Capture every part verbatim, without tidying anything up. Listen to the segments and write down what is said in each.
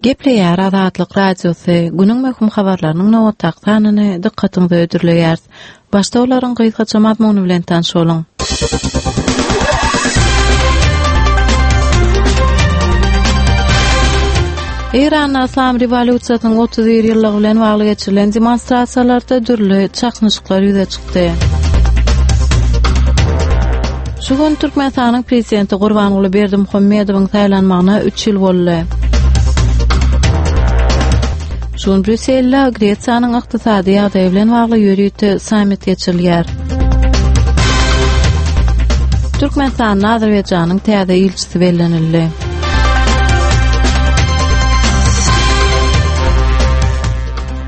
Gepleýär Azatlyk Radiosy, günüň möhüm habarlarynyň nobatdaky sanyny dykgatyňyza hödürleýäris. Başda olaryň gysgaça mazmuny bilen tanyş boluň. Eýranda Yslam rewolýusiýasynyň otuz bir ýyllygy bilen bagly geçirilen demonstrasiýalarda dürli çaknyşyklar ýüze çykdy. Şu gün Türkmenistanyň Prezidenti Gurbanguly Berdimuhamedowyň saýlanmagyna üç ýyl boldy. Şu gün Brýusselde Gresiýanyň ykdysady ýagdaýy bilen bagly ýörite sammit geçirilýär. Türkmenistanda Azerbaýjanyň täze ilçisi bellenildi.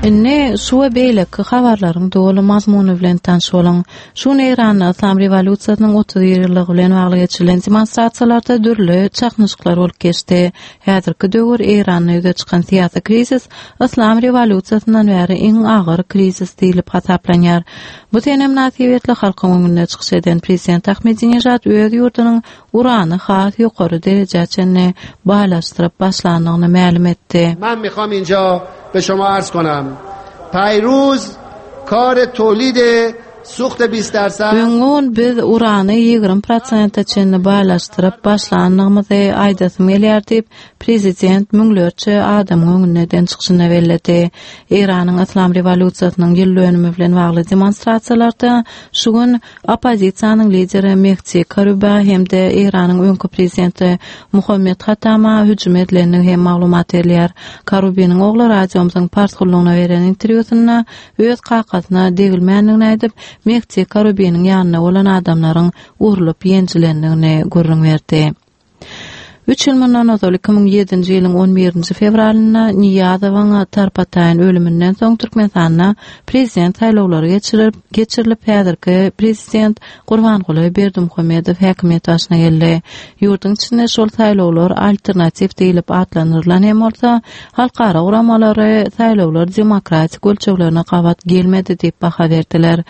Indi şu we beýleki habarlaryň doly mazmuny bilen tanyş boluň. Şu gün Eýranda Yslam rewolýusiýasynyň otuz bir ýyllygy bilen bagly geçirilen demonstrasiýalarda dürli çaknyşyklar bolup geçdi. Häzirki döwür Eýranda ýüze çykan syýasy krizis Yslam rewolýusiýasyndan bäri iň agyr krizis diýlip hasaplanýar. Bu sene mynasybetli halkyň öňünde çykyş eden prezident Ahmedinejad öz ýurdunyň urany has ýokary derejä çenli baýlaşdyryp başlandygyny mälim etdi. Men mikham inja be şoma arz konam. Paýruz kar tolid suht bist darsad. Öňňun biz urany ýigrimi prosente çenli baýlaşdyryp başlandygymyzy aýdasym gelýär diýip, prezident müňlerçe adamyň öňünde eden çykyşynda belledi. Eýranyň Yslam rewolýusiýasynyň ýyl dönümi bilen bagly demonstrasiýalarda şu gün oppozisiýanyň lideri Mehdi Karuba hem-de Eýranyň öňki prezidenti Muhammed Hatama hüjüm edilendigi hem maglumat berilýär. Karubiniň ogly radiomyzyň pars gullugyna beren interwýusynda öz kakasyna degilmändigini aýdyp, Mehdi Karubiniň ýanynda bolan adamlaryň urlup ýenjilendigini gürrüň berdi. Üç ýyl mundan ozal iki müň ýedinji ýylyň on birinji fewralynda Niýazowyň tarpataýyn ölüminden soň Türkmenistanda prezident saýlawlary geçirilip, geçirilip häzirki prezident Gurbanguly Berdimuhamedow häkimiýet başyna geldi. Ýurduň içinde şol saýlawlar alternatiw diýlip atlandyrylan hem bolsa, halkara guramalary saýlawlar demokratik ölçeglerine gabat gelmedi diýip baha berdiler.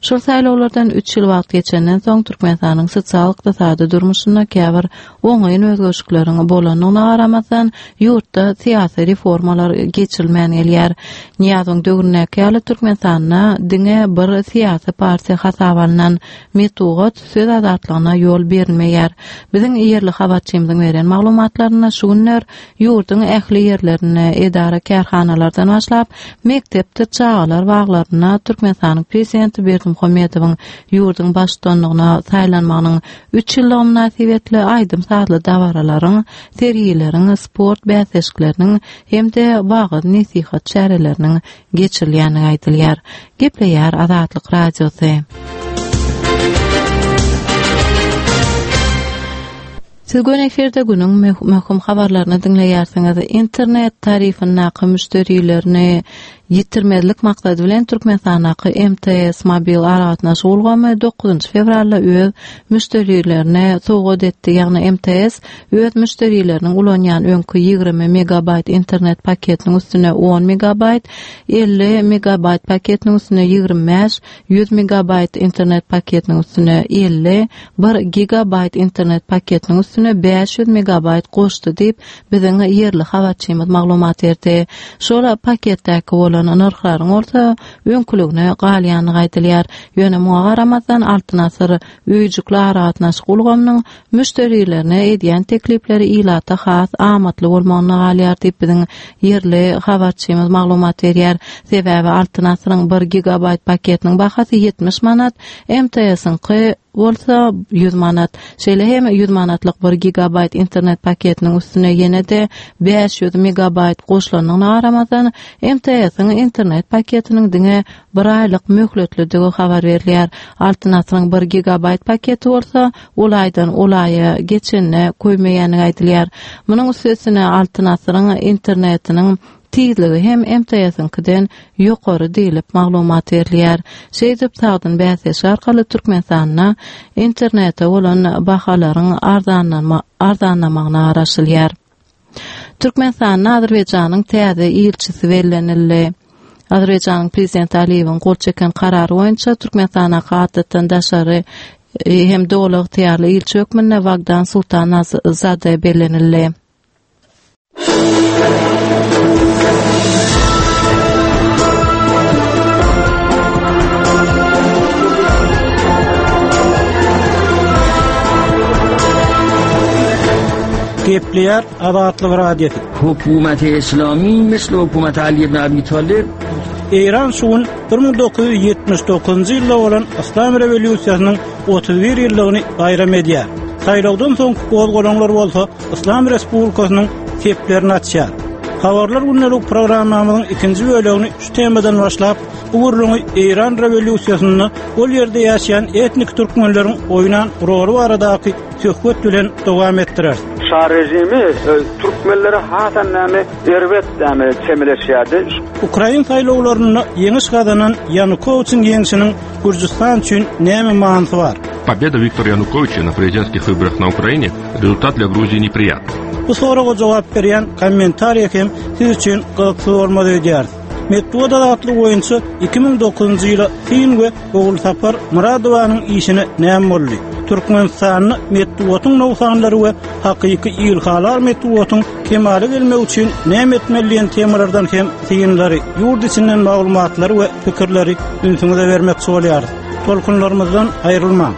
Şol saýlawlardan üç ýyl wagt geçenden soň Türkmenistanyň sosial-ykdysady durmuşynda käbir oňyn özgerişlikleriň bolandygyna garamazdan, ýurtda syýasy reformalar geçirilmän gelýär. Niýazowyň döwründäki ýaly Türkmenistanda diňe bir syýasy partiýa hasaba alnan metbugat söz azatlygyna ýol berilmeýär. Biziň ýerli habarçymyzyň beren maglumatlarynda şu günler ýurduň ähli ýerlerinde edara kärhanalardan başlap mekdepde çagalar baglarynda Türkmenistanyň prezidenti Berdimuhamedowyň ýurduň baştutanlygyna saýlanmagynyň üç ýyllygy mynasybetli aýdym-sazly dabaralaryň, sergileriň, sport bäsleşikleriniň hem-de wagyz-nesihat çäreleriniň geçirilýändigi aýdylýar. Gepleýär Azatlyk Radiosy. Siz gün efirde günüň möhüm habarlaryny diňleýärsiňiz. Internet tarifindäki müşderilerini ýitirmezlik maksady bilen Türkmenistandaky M T S mobil aragatnaşyk ulgamy dokuzynjy fewralda öz müşderilerine sowgat etdi. Ýagny M T S öz müşderileriniň ulanýan öňki ýigrimi megabayt internet paketiniň üstüne on megabayt, elli megabayt paketiniň üstüne ýigrimi bäş, ýüz megabayt internet paketiniň üstüne elli, bir gigabayt internet paketiniň üstüne bäş ýüz megabayt goşdy diýip, biziň ýerli habarçymyz maglumat berdi. Şol paketdäki bolan nyrhlaryň bolsa öňküligine galýandygy aýdylýar. Ýöne muňa garamazdan Altyn Asyr öýjükli aragatnaşyk ulgamynyň müşderilerine edýän teklipleri ilata has amatly bolmagyna galýar diýip biziň ýerli habarçymyz maglumat berýär. Sebäbi Altyn Asyryň bir gigabayt paketiniň bahasy ýetmiş manat, M T S-iňki bolsa ýüz manat. Şeýle hem ýüz manatlyk bir gigabayt internet paketiniň üstüne ýene-de bäş ýüz megabayt goşulandygyna garamazdan M T S-iň internet paketiniň diňe bir aýlyk möhletlidigi habar berilýär. Altyn Asyryň bir gigabayt paketi bolsa ol aýdan ol aýa geçenine köýmeýändigi aýdylýar. Munuň üstesine Altyn Asyryň internetiniň tizligi hem M T S-iňkiden ýokary diýlip maglumat berilýär. Şeýdip sagdyn bäsleşik arkaly Türkmenistanda internete bolan bahalaryň arzanlama, arzanlamagyna garaşylýar. Türkmenistanda Azerbaýjanyň täze ilçisi bellenildi. Azerbaýjanyň prezidenti Aliýewiň gol çeken karary boýunça Türkmenistana adatdan daşary hem doly ygtyýarly ilçi hökmünde Wagdan Sultanzade bellenildi. Gepleýär Azatlyk Radiosy. Hökümeti Islami misli hökümeti Ali ibn Abi Talib. Eýran şu gün bir müň dokuz ýüz ýetmiş dokuzynjy ýylda bolan Yslam rewolýusiýasynyň otuz bir ýyllygyny baýram edýär. Saýlawdan soňky gozgalaňlar bolsa Yslam Respublikasynyň seplerini açýar. Habarlar gündelik programmamyzyň ikinji bölegini şu temadan başlap, bu gürrüňi Eýran rewolýusiýasynda ol ýerde ýaşaýan etnik türkmenleriň oýnan roly baradaky söhbet bilen dowam etdirer. Şah rejimi, e, türkmenlere hasan näme erbet näme çemeleşýärdi. Ukrain saýlawlarynda ýeňiş gazanan Ýanukowiçiň ýeňşiniň Gürjüstan üçin näme manysy bar? Победа Виктора Януковича на президентских выборах на Украине результат для Грузии неприятный. Bu soraga jogap berýän kommentariýa hem siz üçin gyzykly bolmaly öýdýär. Metbugat azatlygy boýunça iki müň dokuzynjy ýyla Sin we Ogulsapar Muradowanyň işine näme boldy? Türkmenistanda metbugatyň nogsanlary we hakyky ilhalar metbugatyň kemala gelmegi üçin näme etmeli diýen temalardan hem synlary, ýurt içinden maglumatlary we pikirleri ünsüňize bermekçi bolýarys. Tolkunlarymyzdan aýrylmaň.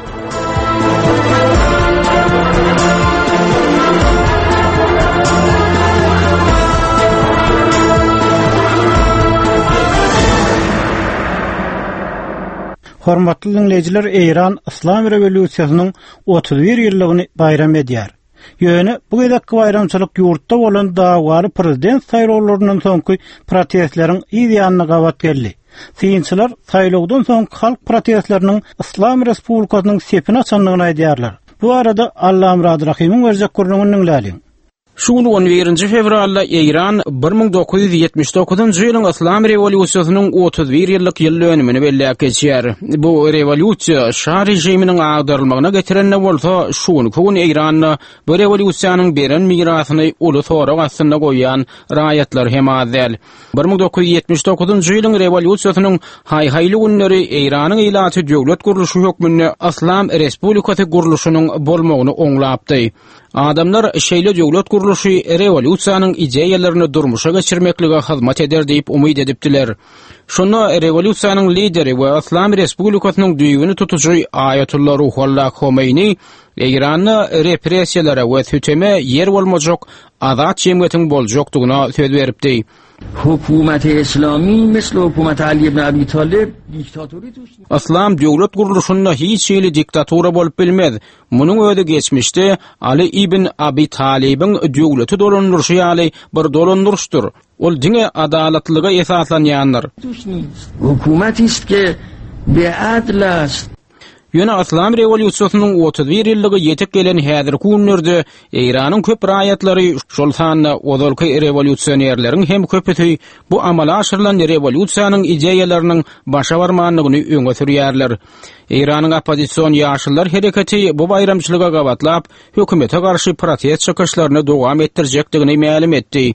Hormatly dinleýjiler, Eýran Yslam rewolýusiýasynyň otuz bir ýyllygyny baýram edýär. Ýöne bu gezekki baýramçylyk ýurtda bolan dawaly prezident saýlawlaryndan soňky protestleriň yz ýanyna gabat geldi. Synçylar saýlawdan soňky halk protestleriniň Yslam Respublikasynyň sepini açandygyny aýdýarlar. Bu arada Allamurad Rahymyň berjek gürrüňini diňläliň. Şu gün on birinji fewralda Eýran bir müň dokuz ýüz ýetmiş dokuzynjy ýylyň Yslam rewolýusiýasynyň otuz bir ýyllyk ýyl dönümini belläp geçýär. Bu rewolýusiýa şah režiminiň agdarylmagyna getirende bolsa, şu günki gün Eýranda bu rewolýusiýanyň beren mirasyny uly sorag astynda goýan raýatlar hem az däl. Bir müň dokuz ýüz ýetmiş dokuzynjy ýylyň rewolýusiýasynyň haý-haýly günleri Eýranyň ilaty döwlet gurluşy hökmünde Yslam Respublikasy gurluşynyň bolmagyny oňlapdy. Adamlar şeýle döwlet gurluşy rewolýusiýanyň ideýalaryny durmuşa geçirmeklige hyzmat eder diýip umyt edipdiler. Şunda rewolýusiýanyň lideri we Yslam Respublikasynyň düýbüni tutujy Aýatullah Ruhullah Homeýni Eýranda repressiýalara we süteme ýer bolmajak azat jemgyýetiň boljakdygyna söz beripdi. Hökümeti Islami misli hökümeti Ali ibn Abi Talib diktaturi tuş. Yslam döwlet gurluşynda hiç hili diktatura bolup bilmez. Munuň özi geçmişde Ali ibn Abi Talibiň döwleti dolandyryşy ýaly bir dolandyryşdyr. Ol diňe adalatlyga esaslanýandyr. Hökümeti ist ke be adl ast. Ýöne Yslam rewolýusiýasynyň otuz bir ýyllygy ýetip gelen häzirki günlerde Eýranyň köp raýatlary, şol sanda ozalky rewolýusionerleriň hem köpüsi bu amala aşyrylan rewolýusiýanyň ideýalarynyň başa barmandygyny öňe sürýärler. Eýranyň oppozision ýaşyllar hereketi bu baýramçylyga gabatlap, hökümete garşy protest çykyşlaryny dowam etdirjekdigini mälim etdi.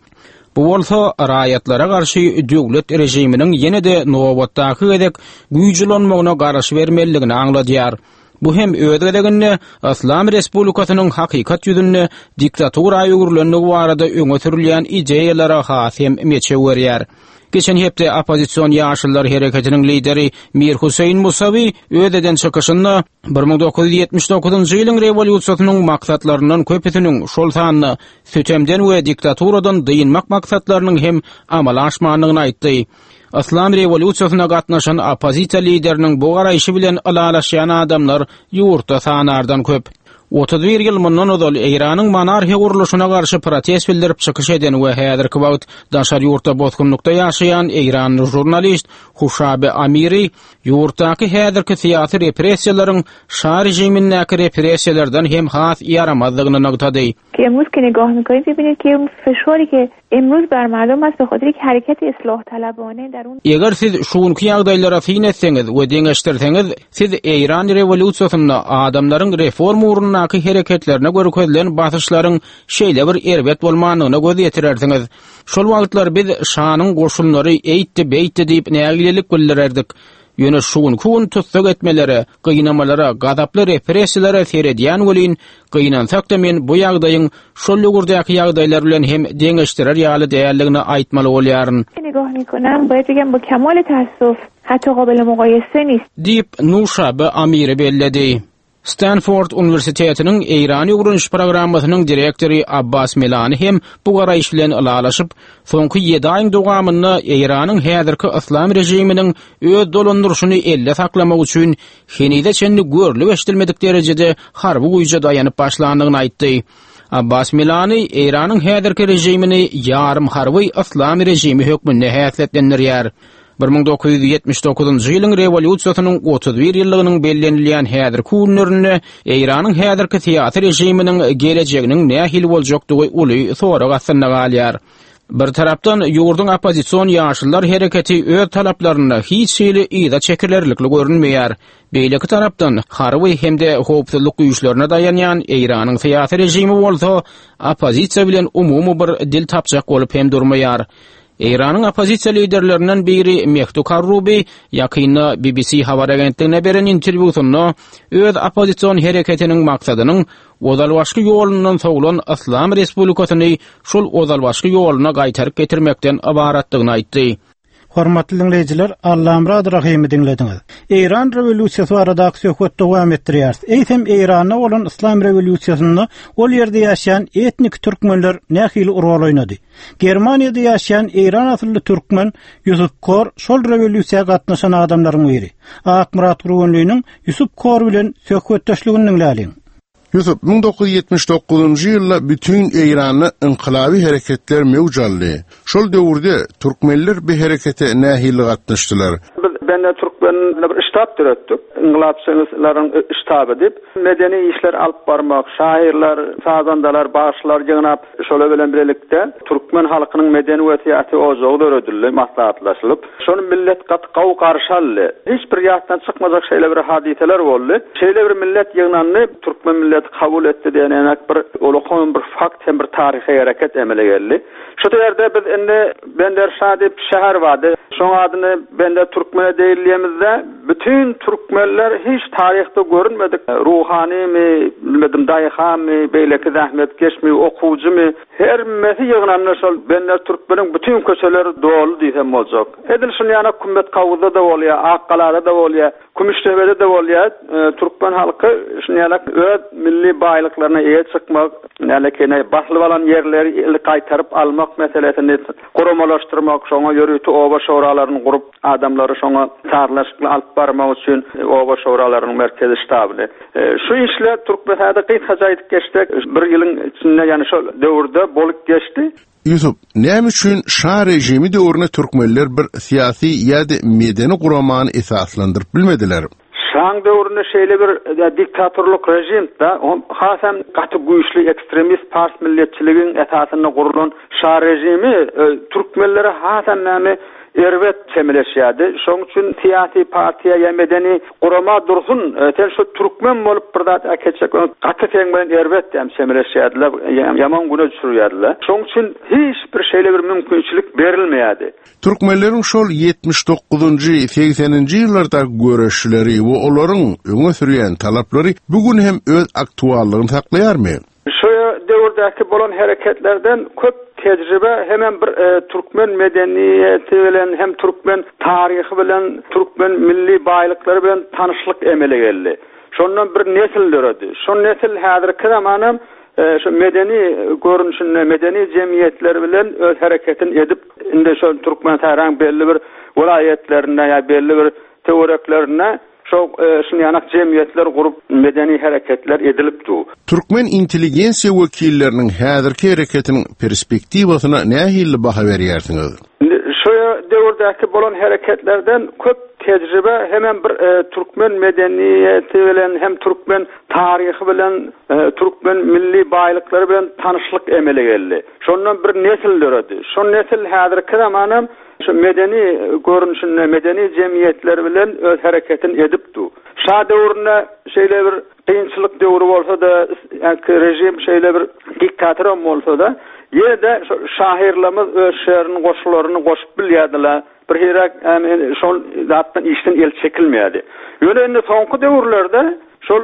Bu bolsa raýatlara garşy döwlet režiminiň ýene-de nobatdaky gezek güýçlenmegine garaş bermelidigini aňladýar. Bu hem öz gezeginde Yslam Respublikasynyň hakykat ýüzünde diktatura öwrülendigi barada öňe sürülýän ideýalara has hem meçew berýär. Geçen hepde oppozision ýaşyllar hereketiniň lideri Mir Hüseýin Musawi öz eden çykyşynda bir müň dokuz ýüz ýetmiş dokuzynjy ýylyň rewolýusiýasynyň maksatlaryndan köpüsiniň şol sanda sütemden we diktaturadan dynmak maksatlarynyň hem amala aşmandygyny aýtdy. Yslam rewolýusiýasyna gatnaşan oppozisiýa lideriniň bu garaýşy bilen ylalaşýan adamlar ýurtda sanardan köp. Otuz bir ýyl mundan ozal Eýranyň monarxiýa gurluşyna garşy protest bildirip çykyş eden we häzirki wagt daşary ýurtda bosgunlykda ýaşaýan Eýranly žurnalist Huşabe Amiri ýurtdaky häzirki syýasy repressiýalaryň şah režimindäki repressiýalardan hem has ýaramazdygyny nygtady. Ki امروز که نگاه می‌کنید می‌بینید که اون فشاری که امروز بر مردم است به خاطر یک حرکت اصلاح طلبانه در اون Eger siz şuňky ýagdaýlara syn etseňiz we deňeşdirseňiz, siz Eýran rewolýusiýasynda adamlaryň reform ugrundaky hereketlerine görkezilen basyşlaryň şeýle bir erbet bolmandygyna göz ýetirersiňiz. Şol wagtlar biz şanyň goşunlary eýtdi, beýtdi diýip nägilelik bildirerdik. Ýöne şu günki gün tussag etmelere, gynamalara, gazaply repressiýalara seredýän welin, gynansak-da men bu ýagdaýyň şol döwürdäki ýagdaýlar bilen hem deňeşdirer ýaly däldigini aýtmaly bolýaryn. نگاه میکنم باید بگم با کمال تاسف حتی قابل مقایسه نیست. Diýip, Nuşabe Amiri belledi. Stanford Uniwersitetiniň Eýran öwreniş programmasynyň direktory Abbas Milani hem bu garaýyş bilen ylalaşyp, soňky ýedi aýyň dowamynda Eýranyň häzirki yslam režiminiň öz dolandyryşyny elle saklamak üçin henize çenli görlüp eşidilmedik derejede harby güýje daýanyp başlandygyny aýtdy. Abbas Milani Eýranyň häzirki režimini ýarym harby yslam režimi hökmünde häsiýetlendirýär. bir müň dokuz ýüz ýetmiş dokuzynjy ýylyň rewolýusiýasynyň otuz bir ýyllygynyň bellenilýän häzirki günlerinde Eýranyň häzirki syýasy režiminiň gelejeginiň nähili boljakdygy uly sorag astynda galýar. Bir tarapdan ýurduň oppozision ýaşyllar hereketi öz talaplarynda hiç hili yza çekilerlikli görünmeýär. Beýleki tarapdan harby hem-de howpsuzlyk güýçlerine daýanýan Eýranyň syýasy režimi bolsa oppozisiýa bilen umumy bir dil tapjak bolup hem durmaýar. Eýranyň oppozisiýa liderlerinden biri Mehdi Karrubi ýakynda B B C habar agentligine beren interwýusynda öz oppozision hereketiniň maksadynyň ozalbaşky ýolundan sowulan Yslam Respublikasyny şol ozalbaşky ýoluna gaýtaryp getirmekden ybaratdygyny aýtdy. Hormatly dinleýjiler, Allamurad Rahimi dinlediňiz. Eýran rewolýusiýasy baradaky söhbet dowam etdirýär. Eýsem Eýranda bolan Yslam rewolýusiýasynda ol ýerde ýaşaýan etnik türkmenler nähili rol oýnady? Germaniýada ýaşaýan Eýran asylly türkmen Ýusuf Kor şol rewolýusiýa gatnaşan adamlaryň biri. Akmyrat Gurbanlynyň Ýusuf Kor bilen söhbetdeşligini dinläliň. Ýusuf, müň dokuz ýüz ýetmiş dokuzynjy ýylda bütün Eýranda inqilabi hereketler mewjaldy. Şol döwürde türkmenler bir herekete nähili gatnaşdylar? Biz bende türkmenler bir ştab döretdik. Inqilabçylaryň ştaby diýip, medeni işler alyp barmak, şairler, sazandalar, bagşylar ýygnap, şolar bilen birlikde türkmen halkynyň medeni we syýasy ojagy döredildi, maslahatlaşylyp. Şony millet gaty gawy garşy aldy. Hiç bir ýatdan çykmajak şeýle bir hadiseler boldy. Şeýle bir millet ýygnandy, türkmen milleti kabul etdi diýen enak bir ulkan bir fakt hem bir taryhy hereket emele geldi. Şu ýerde biz indi Bender Şah diýip şäher bardy. Şoň adyny Bender Türkmene diýilýämizde bütün türkmenler hiç taryhda görünmedik. Ruhanymy, bilmedim daýhamy, beýleki zähmetkeşmi, okuwçymy, her mesi ýygnandy şol Bender Türkmeniň bütün köçeleri doly diýsem boljak. Edil şuny ýana Kümmet Kawuzda da bolýar, Akgalada da bolýar, Kümüştepede de bolýar. E, türkmen halky şuny ýana öz milli baýlyklaryna eýe çykmak, nälekeýne baslyp alan ýerleri gaýtaryp almak meselesini guramalaşdyrmak, şoňa ýörite oba şoralaryny gurup adamlary şoňa sazlaşykly alyp barmak üçin oba şoralarynyň merkezi ştabyny. E, şu işler Türkmenistanda gysgaça aýdyp geçsek, bir ýylyň içinde, ýani şol döwürde bolup geçdi. Ýusuf, näme üçin şah režimi döwründe türkmenler bir syýasy ýa-da medeni guramany esaslandyryp bilmediler? Şaň döwründe şeýle bir diktatorlyk rejim da, hasam gaty güýçli ekstremist pars milletçiligiň esasynda gurulan şah rejimi, e, türkmenlere hasam näme erbet çemeleşýärdi. Şoň üçin syýasy partiýa ýa medeni gurama dursun, e, sen şu türkmen bolup bir zat äketjek, gaty sen bilen erbet diýem çemeleşýärdiler, ýaman güne düşürýärdiler. Şoň üçin hiç bir şeýle bir mümkinçilik berilmeýärdi. Türkmenleriň şol ýetmiş dokuzynjy, segseninji ýyllarda göreşleri we olaryň öňe sürýän talaplary bugün hem öz aktuallygyny saklaýarmy? Şu döwürdäki bolan hereketlerden köp tejribe hemen bir, e, türkmen medeniýeti bilen hem türkmen taryhy bilen türkmen milli baýlyklary bilen tanyşlyk emele geldi. Şondan bir nesil döredi. Şon nesil häzirki zamanam, e, şu medeni görnüşinde medeni jemgyýetler bilen öz hereketini edip indi şol Türkmenistanyň belli bir welaýatlarynda ýa belli bir töwereklerinde şo, e, şuny ýanak jemgyýetler gurup medeni hereketler edilip du. Türkmen intelligensiýa wekilleriniň häzirki hereketiniň perspektiwasyna nähili baha berýärsiňiz? Indi şu döwürdäki bolan hereketlerden köp tejribe hemen bir, e, türkmen medeniýeti bilen hem türkmen taryhy bilen, e, türkmen milli baýlyklary bilen tanyşlyk emele geldi. Şondan bir nesil döredi. Şon nesil häzirki zamanam şu medeni görnüşinde medeni jemgyýetler bilen öz hereketini edip du. Şah döwründe şeýle bir kynçylyk döwri bolsa da, ýa-ki rejim şeýle bir diktator bolsa da, ýene-de şu şahyrlarymyz öz şäheriniň goşularyny goşup bilýärdiler. Bir hiraak şol zatdan işden el çekilmeýärdi. Ýöne indi soňky döwürlerde şol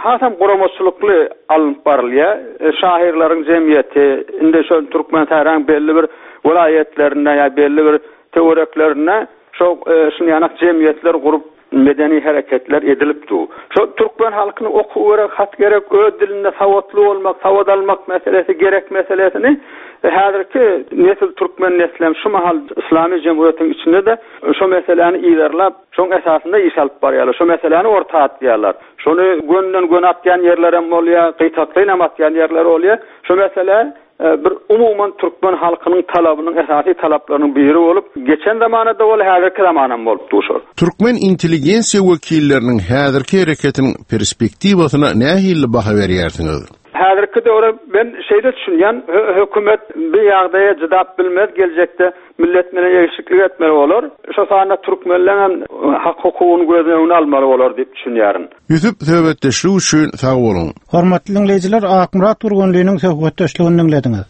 hasam guramaçylykly alnyp barylýar. Şahyrlaryň jemgyýeti indi şol Türkmenistanyň belli bir welaýatlarynda ýa belli bir töwereklerinde şo şuny ýanak jemgyýetler gurup medeni hareketler edilip du. Şo türkmen halkyny okuw gerek, hat gerek, öz dilinde sawatly bolmak, sawat almak meselesi gerek meselesini häzirki nesil türkmen neslem şu mahal İslami Cumhuriyetiň içinde de şo meseläni ilerlap, şoň esasynda iş alyp barýarlar. Şo meseläni orta atýarlar. Şony gönden gön atýan ýerler hem bolýar, gyýtakly hem atýan ýerler bolýar. Şo mesele bir umuman türkmen halkynyň talabynyň esasy talaplarynyň biri bolup, geçen zamanada bol, häzirki zamanam bolup duşar. Türkmen intelligensiýa wekilleriniň häzirki hereketiniň perspektiwasyna nähili baha berýärsiňiz? Häzirki döwre ben şeýle düşünýän, hökümet bir ýagdaýa jydap bilmez, geljekde millet bilen eşiklik etmeli bolar. Şo sanda türkmenleň hem hak hukugyny göz öňüne almaly bolar diýip düşünýärin. Ýusuf söhbetdeşlik üçin sag boluň. Hormatly dinleýjiler, Akmyrat Gurgunlynyň söhbetdeşligini dinlediňiz.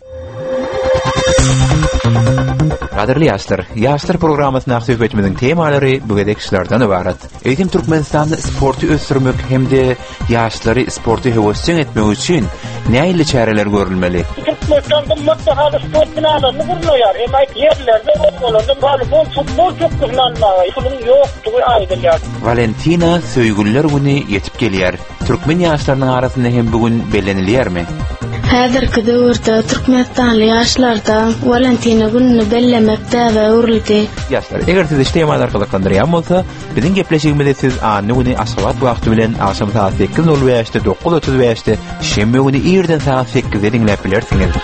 Gadyrly ýaşlar, ýaşlar programmasyna söhbetimiziň temalary bu gezek şulardan ibarat. Eýsem Türkmenistanda sporty ösdürmek hem-de ýaşlary sporty höwesjeň etmek üçin nähili çäreler görülmeli? Türkmenistan gymmat bahaly sport binalaryny gurnaýar. Emma ýerlerde obalarda voleybol, futbol pökgüsini almaga puluň ýokdugy aýdylýar. Valentina söýgüliler güni ýetip gelýär. Türkmen ýaşlarynyň arasynda hem bugün bellenilýärmi? Häzirki döwürde Türkmenistanly ýaşlarda Valentina gününi bellemek däbe öwrüldi. Ýaşlar, eger sizi şu temalar gyzyklandyrýan bolsa, biziň gepleşigimizi siz anny güni Aşgabat wagty bilen agşam saat sekiz nol bäşde, dokuz otuz bäşde, şenbe güni irden saat sekizde diňläp bilersiňiz.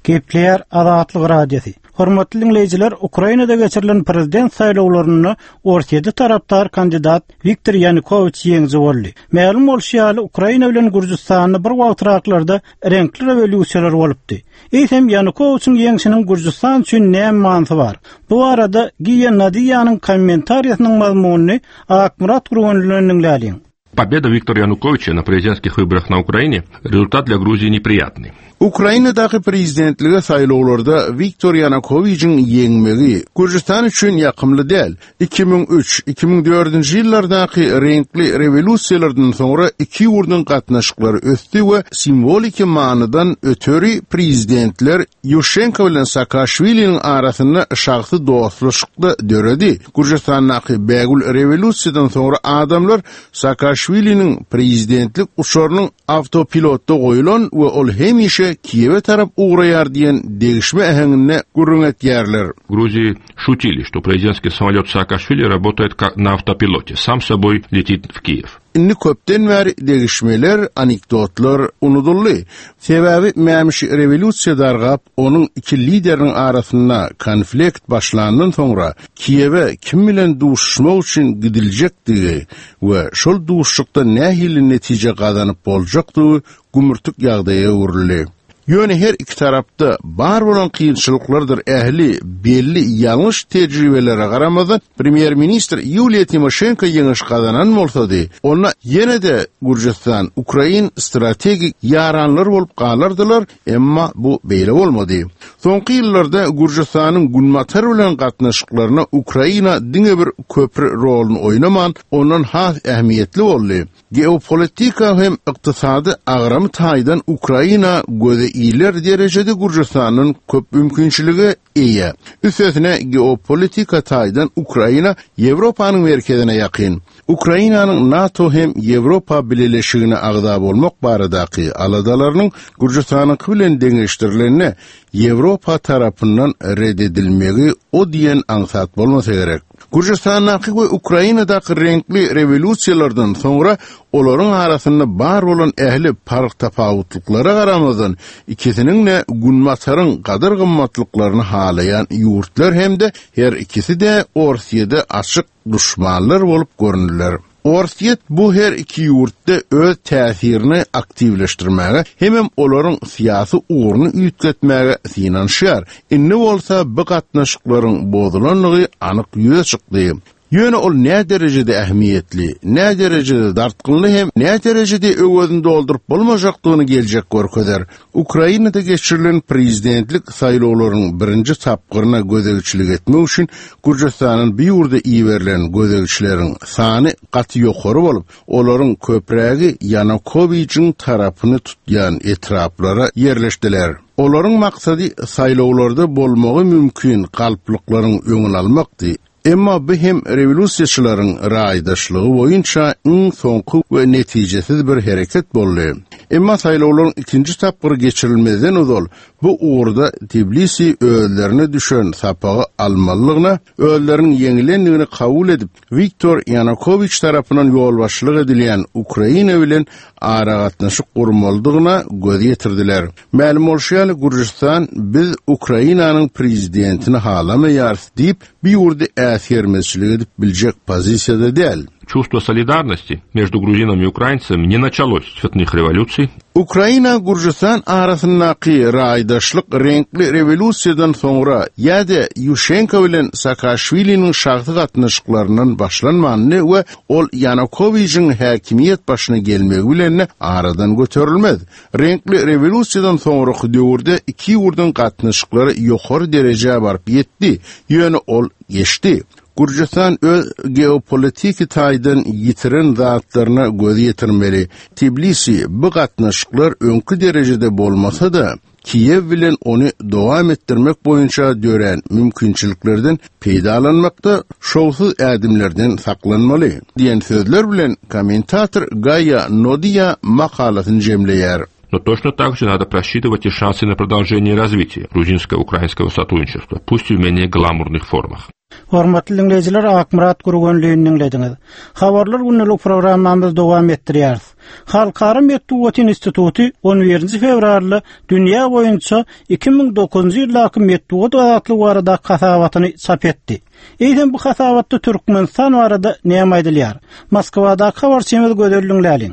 Gepleýär Azatlyk Radiosy. Hormatly dinleýjiler, Ukrainada geçirilen prezident saýlawlarynda Orsýeti tarapdar kandidat Viktor Ýanukowiç ýeňiji boldy. Mälim bolşy ýaly, Ukraina bilen Gürjüstanda bir wagtraklarda reňkli rewolýusiýalar bolupdy. Eýsem Ýanukowiçiň ýeňşiniň Gürjüstan üçin näme manysy bar? Bu arada Giýa Nadiýanyň kommentariýasynyň mazmunyny Akmyrat Gurbanlydan diňläliň. Победа Виктора Януковича на президентских выборах на Украине – результат для Грузии неприятный. Ukrainadaky prezidentlige saýlawlarda Viktor Ýanukowiçiň ýeňmegi Gürjüstan üçin ýakymly däl. iki müň üç, iki müň dördünji ýyllardaky reňkli rewolýusiýalardan soňra iki ýurduň gatnaşyklary ösdi we simwoliki manydan öteri prezidentler Ýuşenko bilen Saakaşwiliniň arasynda şahsy dostluşykda döredi. Gürjüstandaky bägül rewolýusiýadan soňra adamlar Saakaşwiliniň prezidentlik uçarynyň awtopilotda goýulan we ol hemişe Kiýewe tarap ugraýar diýen degişme äheňinde gürrüň etýärler. В Грузии шутили, что президентский самолет Саакашвили работает как на автопилоте, сам собой летит в Киев. Indi köpden bäri degişmeler, anekdotlar unuduldy. Sebäbi mämişi rewolýusiýa dargap, onuň iki lideriniň arasynda konflikt başlandan soňra Kiýewe kim bilen duşuşmak üçin gidiljekdigi we şol duşuşykda nähili netije gazanyp boljakdygy gümürtik ýagdaýa öwrüldi. Ýöne her iki tarapda bar bolan kynçylyklardyr ähli belli ýalňyş tejribelere garamazdan Premýer-ministr Yuliya Timoşenko ýeňiş gazanan bolsady, onda ýene-de Gürjüstan Ukrain strategik ýaranlar bolup galardylar, emma bu beýle bolmady. Soňky ýyllarda Gürjüstanyň Günbatar bilen gatnaşyklaryna Ukraina diňe bir köpri roluny oýnaman, ondan has ähmiýetli boldy. Geopolitika hem ykdysady agramy taýdan Ukraina göze iler derejede Gürjüstanyň köp mümkinçiligi eýe. Üstesine geopolitika taýdan Ukraina Ýewropanyň merkezine ýakyn. Ukrainanyň NATO hem Ýewropa Bileleşigine agza bolmak baradaky aladalarynyň Gürjüstanyň bilen deňeşdirilenine Ýewropa tarapyndan reddedilmegi o diýen aňsat bolmasa gerek. Gürjüstandaky we Ukrainadaky reňkli rewolýusiýalardan soňra olaryň arasynda bar bolan ähli park tapawutlyklara garamazdan ikisiniň-de Günbataryň gadyr gymmatlyklaryny halaýan ýurtlar hem-de her ikisi-de Orsýede açyk duşmanlar bolup göründiler. Orsýet bu her iki ýurtda öz täsirini aktiwleşdirmäge hemem olaryň syýasy ugruny üýtgetmäge synanyşýar. Indi bolsa bu gatnaşyklaryň bozulanlygy anyk ýüze çykdy. Ýöne ol nä derejede ähmiýetli, nä derejede dartgynly hem nä derejede öwezini dolduryp bolmajakdygyny geljek görkezer. Ukrainada geçirilen prezidentlik saýlawlarynyň birinji tapgyryna gözegçilik etmek üçin Gürjüstanyň bu ýurda iberilen gözegçileriň sany gaty ýokary bolup, olaryň köprägi Ýanukowiçiň tarapyny tutýan etraplara ýerleşdiler. Olaryň maksady saýlawlarda bolmagy mümkin galplyklaryň öňüni almakdy. Emma bu hem rewolýusiýaçylaryň raýdaşlygy boýunça iň soňky we netijesiz bir hereket boldy. Emma saýlawlaryň ikinji tapgyry geçirilmezden ozal bu ugurda Tbilisi özlerine düşen sapagy almalydygyna, özleriniň ýeňilendigini kabul edip, Wiktor Ýanukowiç tarapyndan ýolbaşçylyk edilýän Ukraina bilen aragatnaşyk gurmalydygyna göz ýetirdiler. Mälim bolşy ýaly, Gürjüstan biz Ukrainanyň prezidentini halamaýarys diýip, bu ýurdy äsgermezçilik edip biljek pozisiýada däl. Чувство солидарности между грузинами и украинцами не началось с цветных революций. Ukraina-Gürjüstan arasyndaky raýdaşlyk reňkli rewolýusiýadan soňra ýa-da Ýuşenko bilen Saakaşwiliniň şahsy gatnaşyklaryndan başlanmandy we ol Ýanukowiçiň häkimiýet başyna gelmegi bilen aradan göterilmez. Reňkli rewolýusiýadan soňraky döwürde iki ýurduň gatnaşyklary ýokary derejä baryp ýetdi, ýöne ol geçdi. Gürjüstan öz geopolitiki taýdan ýitiren zatlaryna göz ýetirmeli. Tbilisi bu gatnaşyklar öňki derejede bolmasa-da, Kiýew bilen ony dowam etdirmek boýunça dörän mümkinçiliklerden peýdalanmakda şowsuz ädimlerden saklanmaly diýen sözler bilen kommentator Gaýa Nodiýa makalasyny jemleýär. Но точно так же надо просчитывать и шансы на продолжение развития грузинско-украинского сотрудничества, пусть и в менее гламурных формах. Hormatly diňleýjiler, Akmyrat Gurgunlyny diňlediňiz. Habarlar gündelik programmamyzy dowam etdirýäris. Halkara metbugat instituty on birinji fewralda dünýä boýunça iki müň dokuzynjy ýyldaky metbugat azatlygy barada hasabatyny çap etdi. Eýsem bu hasabatda Türkmenistan barada näme aýdylýar? Moskwadaky habarçymyz Gözel Diňläliň.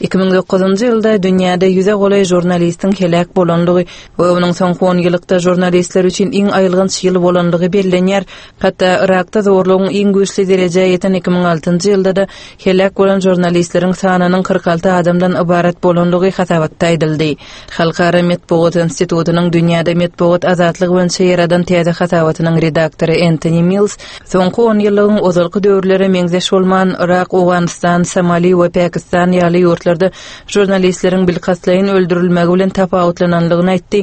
Iki müň dokuzynjy ýylda dünýäde ýüze golaý žurnalistiň heläk bolanlygy we onuň soňky on ýyllykda žurnalistler üçin iň aýylganç ýyl bolanlygy bellenýär. Hatda Irakda zorlugyň iň güýçli derejä ýeten iki müň altynjy ýylda-da heläk bolan žurnalistleriň sanynyň kyrk alty adamdan ybarat bolanlygy hasabatda aýdyldy. Halkara metbugat institutynyň dünýäde metbugat azatlygy boýunça ýaradan täze hasabatynyň redaktory Entoni Mills soňky on ýyllygyň ozalky döwürlere meňzeş bolman Irak, Owganystan, Somali we Pakistan ýaly ýurtlarda žurnalistleriň bilkastlaýyn öldürilmegi bilen tapawutlananlygyny aýtdy.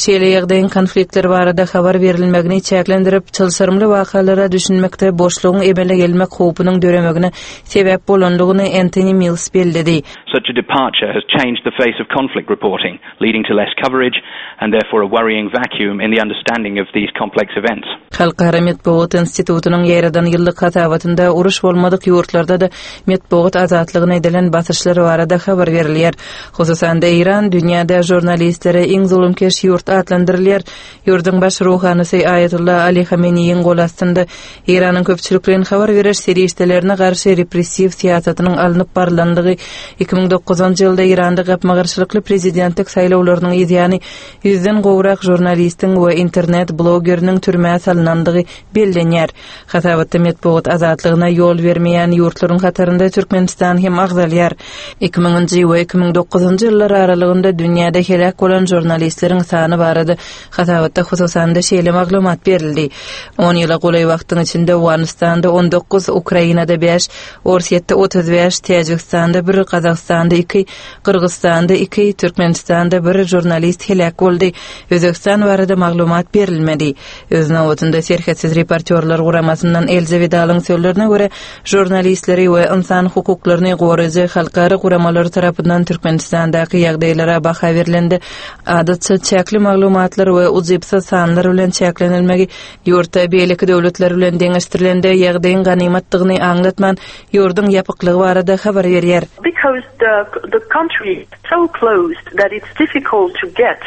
Şeýle ýagdaýyň konfliktler barada habar berilmegini çäklendirip, çylşyrymly wakalara düşünmekde boşlugyň emele gelmek howpunyň döremegine sebäp bolanlygyny Entoni Mills belledi. Such a departure has changed the face of conflict reporting, leading to less coverage and therefore a worrying vacuum in the understanding of these complex events. Halkara metbugat institutynyň ýaradan ýyllyk hasabatynda uruş bolmadyk ýurtlarda-da metbugat azatlygyna edilen basyşlar barada habar berilýär. Hususan-da Eýran dünýäde žurnalistlere iň zulumkeş ýurt atlandyrylýar. Ýurduň baş ruhanysy Aýatullah Ali Hameneýiň gol astynda Eýranyň köpçülikleýin habar beriş serişdelerine garşy repressiw syýasatynyň alnyp barylandygy iki müň dokuzynjy ýylda Eýranda gapma-garşylykly prezidentlik saýlawlarynyň ýany ýüzden gowrak žurnalistiň we internet blogeriniň türmä salynandygy bellenýär. Hasabatda metbugat azatlygyna ýol bermeýän ýurtlaryň hatarynda Türkmenistan hem agzalýar. Iki müňünji we iki müň dokuzynjy ýyllar aralygynda dünýäde heläk bolan žurnalistleriň sany barada hasabatda hususan-da şeýle maglumat berildi. On ýyla golaý wagtyň içinde Owganystanda on dokuz, Ukrainada bäş, Orsýetde otuz bäş, Täjigistanda bir, Gazagystanda iki, Gyrgyzystanda iki, Türkmenistanda bir žurnalist heläk boldy. Özbegistan barada maglumat berilmedi. Öz nobatynda Serhetsiz reportýorlar guramasyndan Elze Widalyň sözlerine görä, žurnalistleri we insan hukuklaryny goraýjy halkara guramalary tarapyndan Türkmenistandaky ýagdaýlara baha berilende adatça çäkli maglumatlar we ujypsyz sanlar bilen çäklenilmegi ýurtda beýleki döwletler bilen deňeşdirilende ýagdaýyň ganymatdygyny aňlatman ýurduň ýapyklygy barada habar berýär. Because the, the country is so closed that it's difficult to get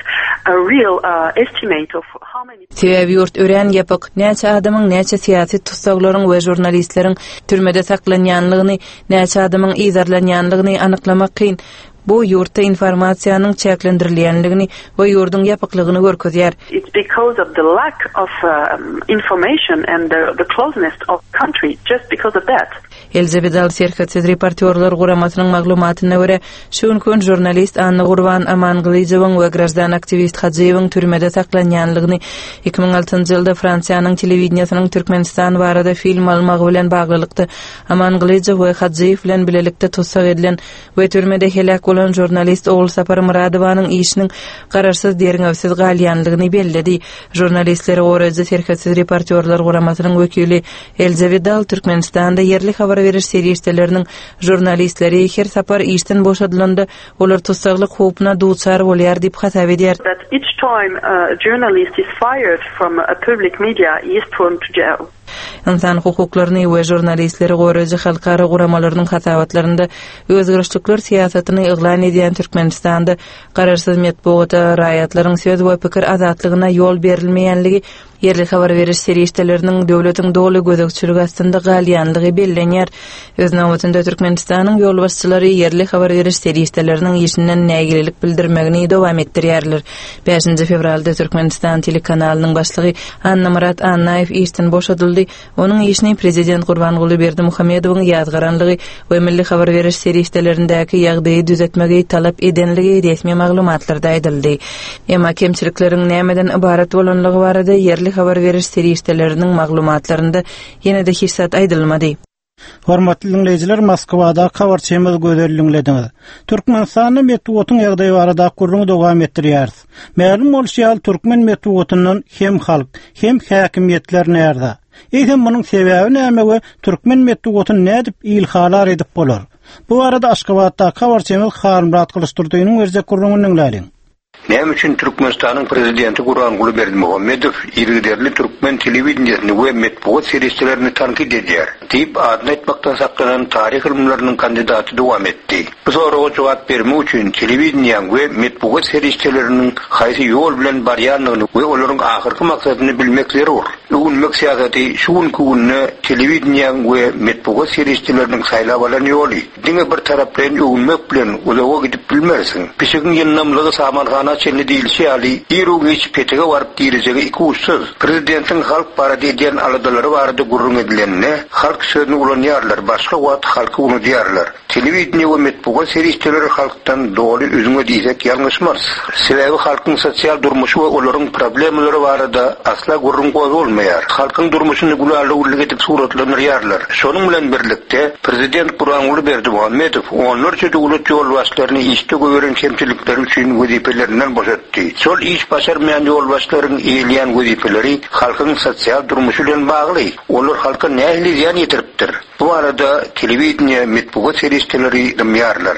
a real, uh, estimate of how many Sebäbi ýurt örän ýapyk, näçe adamyň, näçe syýasy tussaglaryň we žurnalistleriň türmede saklanýanlygyny, näçe adamyň yzarlanýanlygyny anyklamak kyn. Bu ýurtda informasiýanyň çäklendirilýänligini we ýurduň ýapyklygyny görkezýär. It's because of the lack of um, information and the, the closeness of country, just because of that. Elza Widal Serhetsiz reportýorlar guramasynyň maglumatyna görä, şu günki gün žurnalist Annagurban Amangylyjowyň we graždan aktiwist Hajyýewiň türmede saklanýanlygyny iki müň altynjy ýylda Fransiýanyň telewideniýesiniň Türkmenistan barada film almagy bilen baglylykda Amangylyjow we Hajyýew bilen bilelikde tussag edilen we türmede heläk bolan žurnalist Ogulsapar Myradowanyň işiniň garaşsyz derňewsiz galýanlygyny belledi. Žurnalistleri goraýjy Serhetsiz reportýorlar guramasynyň wekili Elza Widal Türkmenistanda ýerli habar beriş serişdeleriniň žurnalistleri her sapar işden boşadylanda olar tussaglyk howpuna duçar bolýar diýip hasap edýär. That each time a journalist is fired from a public media, he is thrown to jail. Insan hukuklaryny we žurnalistleri goraýjy halkara guramalarynyň hasabatlarynda özgerişlikler syýasatyny yglan edýän Türkmenistanda garaşsyz metbugata raýatlaryň söz we pikir azatlygyna ýol berilmeýänligi, ýerli habar beriş serişdeleriniň döwletiň doly gözegçiligi astynda galýanlygy bellenýär. Öz nobatynda Türkmenistanyň ýolbaşçylary ýerli habar beriş serişdeleriniň işinden nägilelik bildirmegini dowam etdirýärler. Bäşinji fewralda Türkmenistan telekanalynyň başlygy Annamyrat Annaýew işden boşadyldy. Onuň işini prezident Gurbanguly Berdimuhamedowyň ýazgaranlygy we milli habar beriş serişdelerindäki ýagdaýy düzetmegi talap edenligi resmi maglumatlarda aýdyldy. Emma kemçilikleriň nämeden ybarat bolanlygy barada ýerli habar beriş serişdeleriniň maglumatlarynda ýene-de hiç zat aýdylmady. Hormatly dinleýjiler, Moskwada habarçymyz Gözel diňlediňiz. Türkmenistanda metbugatyň ýagdaýy barada gürrüňi dowam etdirýäris. Mälim bolşy ýaly türkmen metbugatyndan hem halk, hem häkimiýetler närde? Eýsem munuň sebäbi näme we türkmen metbugatyny nädip ilhalar edip bolar? Bu barada Aşgabatda habarçymyz Halmyrat Gylyçdurdynyň berjek gürrüňini diňläliň. Näme üçin Türkmenistanyň prezidenti Gurbanguly Berdimuhamedow yzygiderli türkmen telewideniýesini we metbugat serişdelerini tankyt edýär diýip adyny aýtmakdan saklanan taryh ylymlarynyň kandidaty dowam etdi. Bu soraga jogap bermek üçin telewideniýäň we metbugat serişdeleriniň haýsy ýol bilen barýandygyny we olaryň ahyrky maksadyny bilmek zerur. Öwünmek syýasaty şu günki günde telewideniýäň we metbugat serişdeleriniň saýlap alan ýoly. Diňe bir taraplaýyn öwünmek bilen uzaga gidip bilmersiň. Pişigiň ýyndamlygy samanhana çenli diýilişi ýaly, ir-u-giç petege baryp girejegi iki uçsuz. Prezidentiň halk barada edýän aladalary barada gürrüň edilende, halk sözüni ulanýarlar, başga wagt halky unudýarlar. Telewideniýe we metbugat serişdeleri halkdan doly üzňe diýsek ýalňyşmarys. Sebäbi halkyň sosial durmuşy we olaryň problemalary barada asla gürrüň gozgalmaýar. Halkyň durmuşyny gülalugurlyk edip suratlandyrýarlar. Şonuň bilen birlikde prezident Gurbanguly Berdimuhamedow onlarça döwlet ýolbaşçylaryny işde goýberen kemçilikleri üçin wezipelerinden boşatdy. Şol iş başarmaýan ýolbaşçylaryň eýeleýän wezipeleri halkyň sosial durmuşy bilen bagly. Olar halka nähili zyýan ýetiripdir? Bu barada telewideniýe, metbugat serişdeleri dymýarlar.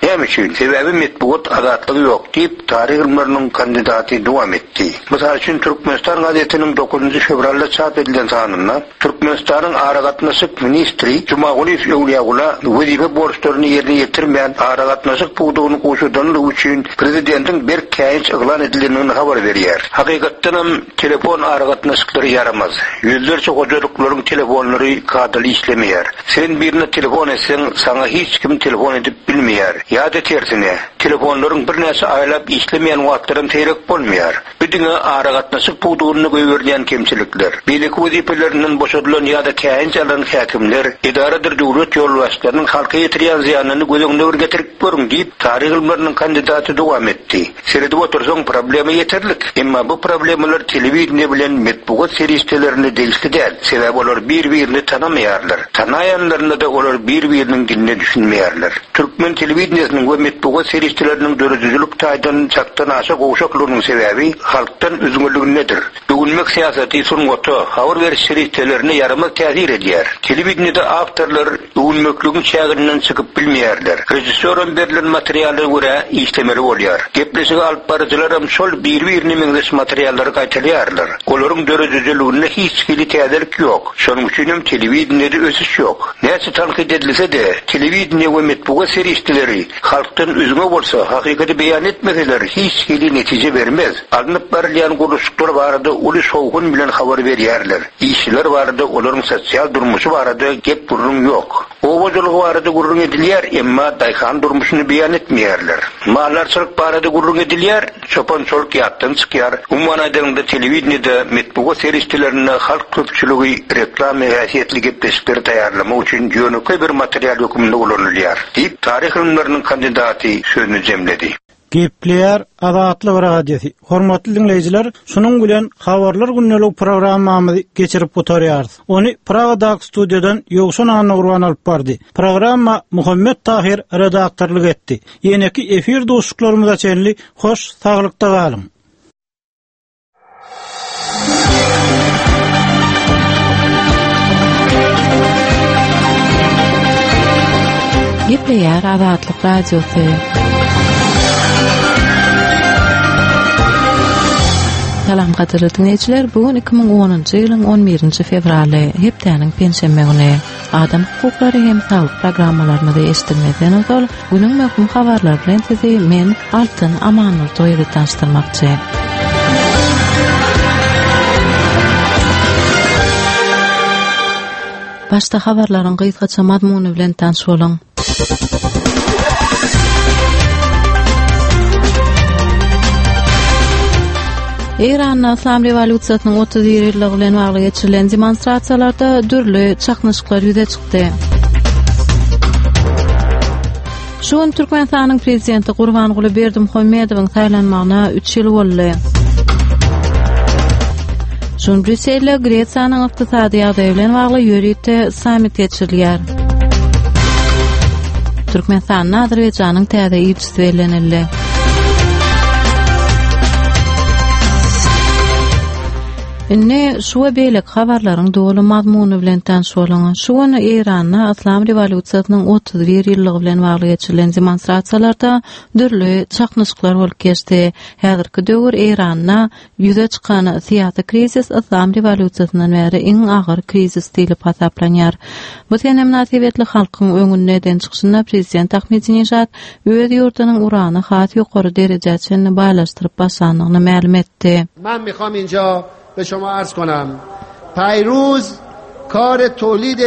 Näme üçin? Sebäbi metbugat azatlygy ýok diýip taryh ylymlarynyň kandidaty dowam etdi. Mysal üçin Türkmenistan gazetiniň dokuzynjy fewralda çap edilen sanynda Türkmenistanyň aragatnaşyk ministri Jumagulyýew Öwlüýagula wezipe borçlaryny ýerine ýetirmän aragatnaşyk pudagyny gowşadanlygy üçin prezidentiň berk käýinç yglan edilendigini habar berýär. Hakykatdanam telefon aragatnaşyklary ýaramaz. Ýüzlerçe hojalyklaryň telefonlary kadaly işlemeýär. Sen birine telefon etseň, saňa hiç kim telefon edip bilmeýär. Ýa-da tersine, telefonlaryň birnäçe aýlap işlemeýän wagtlaram seýrek bolmaýar. Bu diňe aragatnaşyk pudagynda goýberilýän kemçilikler. Beýleki wezipelerinden boşadylan ýa-da käýinç alan häkimler, edaradyr döwlet ýolbaşçylarynyň halka ýetirýän zyýanyny göz öňüne bir getirip görüň diýip taryh ylymlarynyň kandidaty dowam etdi. Seredip otursaň problema ýeterlik. Emma bu problemalar telewideniýe bilen metbugat serişdelerine degişli däl. Sebäbi olar bir-birini tanamaýarlar. Tanaýanlarynda-da olar bir-biriniň diline düşünmeýärler. Türkmen telewideniýesiniň we metbugat serişdeleriniň döredijilik taýdan çakdan aşa gowşaklygynyň sebäbi halkdan üzňeligindedir. Öwünmek syýasaty sungata, habar beriş serişdelerine ýaramaz täsir edýär. Telewideniýede awtorlar öwünmekligiň çäginden çykyp bilmeýärler. Rejissýoram berlen materiala görä işlemeli bolýar. Gepleşigi alyp baryjylaram şol bir-birine meňzeş materiallary gaýtalýarlar. Olaryň döredijiliginde hiç hili täzelik ýok. Şonuň üçin hem telewideniýede ösüş ýok. Näçe tankyt edilse-de, telewideniýe we metbugat serişdeleri halkdan üzňe bolsa, hakykaty beýan etmeseler hiç hili netije bermez. Alnyp barylýan gurluşyklar barada uly şowhun bilen habar berýärler. Işçiler barada, olaryň sosial durmuşy barada gep gürrüň ýok. Oba hojalygy barada gürrüň edilýär, emma daýhan durmuşyny beýan etmeýärler. Maldarçylyk barada gürrüň edilýär, çopan-çoluk ýatdan çykýar. Umuman aýdanyňda, telewideniýede, metbugat serişdelerinde halk köpçüligi reklama häsiýetli gepleşikleri taýýarlamak üçin ýönekeý bir material hökmünde ulanylýar, diýip, taryh ylymlarynyň kandidaty sözüni jemledi. Gepleýär Azatlyk Radiosy. Hormatly dinleýjiler, şunuň bilen habarlar gündelik programmamyzy geçirip gutarýarys. Ony Pragadaky studiýadan Ýowşan Annagurban alyp bardy. Programma Muhammet Tahir redaktorlyk etdi. Ýeneki efir duşuşyklarymyza çenli hoş saglykda galyň. Gepleýär Azatlyk Radiosy. Salam gadyrly dinleýjiler, bu gün iki müň onunjy ýylyň on birinji fewraly, hepdäniň penşenbe güni. Adam hukuklary hem saglyk programmalarymyzy eşitmezden ozal, günüň möhüm habarlary bilen sizi men Altyn Amanurdy tanyşdyrmakçy. Başda habarlaryň gysgaça mazmuny bilen tanyş boluň. Eýranda Islam rewolýusiýasynyň otuz bir ýyllygy bilen bagly geçirilen demonstrasiýalarda dürli çaknyşyklar ýüze çykdy. Şu gün Türkmenistanyň prezidenti Gurbanguly Berdimuhamedowyň saýlanmagyna üç ýyl boldy. Şu gün Brýusselde Gresiýanyň ykdysady ýagdaýy bilen bagly ýörite sammit geçirilýär. Türkmenistanda Azerbaýjanyň täze ilçisi bellenildi. Indi şu we beýleki habarlaryň doly mazmuny bilen tanyş boluň. Şu gün Eýranda Islam rewolýusiýasynyň otuz bir ýyllygy bilen bagly geçirilen demonstrasiýalarda dürli çaknyşyklar bolup geçdi. Häzirki döwür Eýranda ýüze çykan syýasy krizis Islam rewolýusiýasyndan bäri iň agyr krizis diýlip hasaplanýar. Bu sene mynasybetli halkyň öňünde eden çykyşynda prezident Ahmedinejad öz ýurdunyň urany has ýokary derejä çenli baýlaşdyryp başlandygyny mälim etdi. Men mikham inja به شما عرض کنم پیروز کار تولید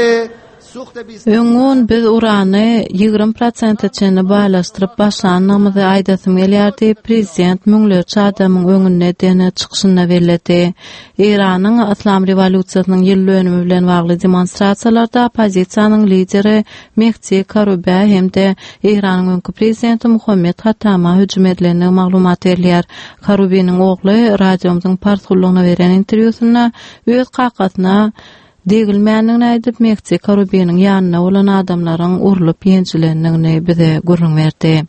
سوخت بیست Öňňun biz urany ýigrimi prosente çenli baýlaşdyryp başlandygymyzy aýdasym gelýär diýip, prezident müňlerçe adamyň öňünde eden çykyşynda belledi. Eýranyň Islam rewolýusiýasynyň ýyl dönümi bilen bagly demonstrasiýalarda oppozisiýanyň lideri Mehdi Karubä hem-de Eýranyň öňki prezidenti Muhammed Hatama hüjüm edilendigi maglumat berilýär. Karubiniň ogly radiomyzyň pars gullugyna beren interwýusynda öz kakasyna degilmändigini aýdyp, Mehdi Karubiniň ýanyna bolan adamlaryň urlup ýenjilendigini bize gürrüň berdi.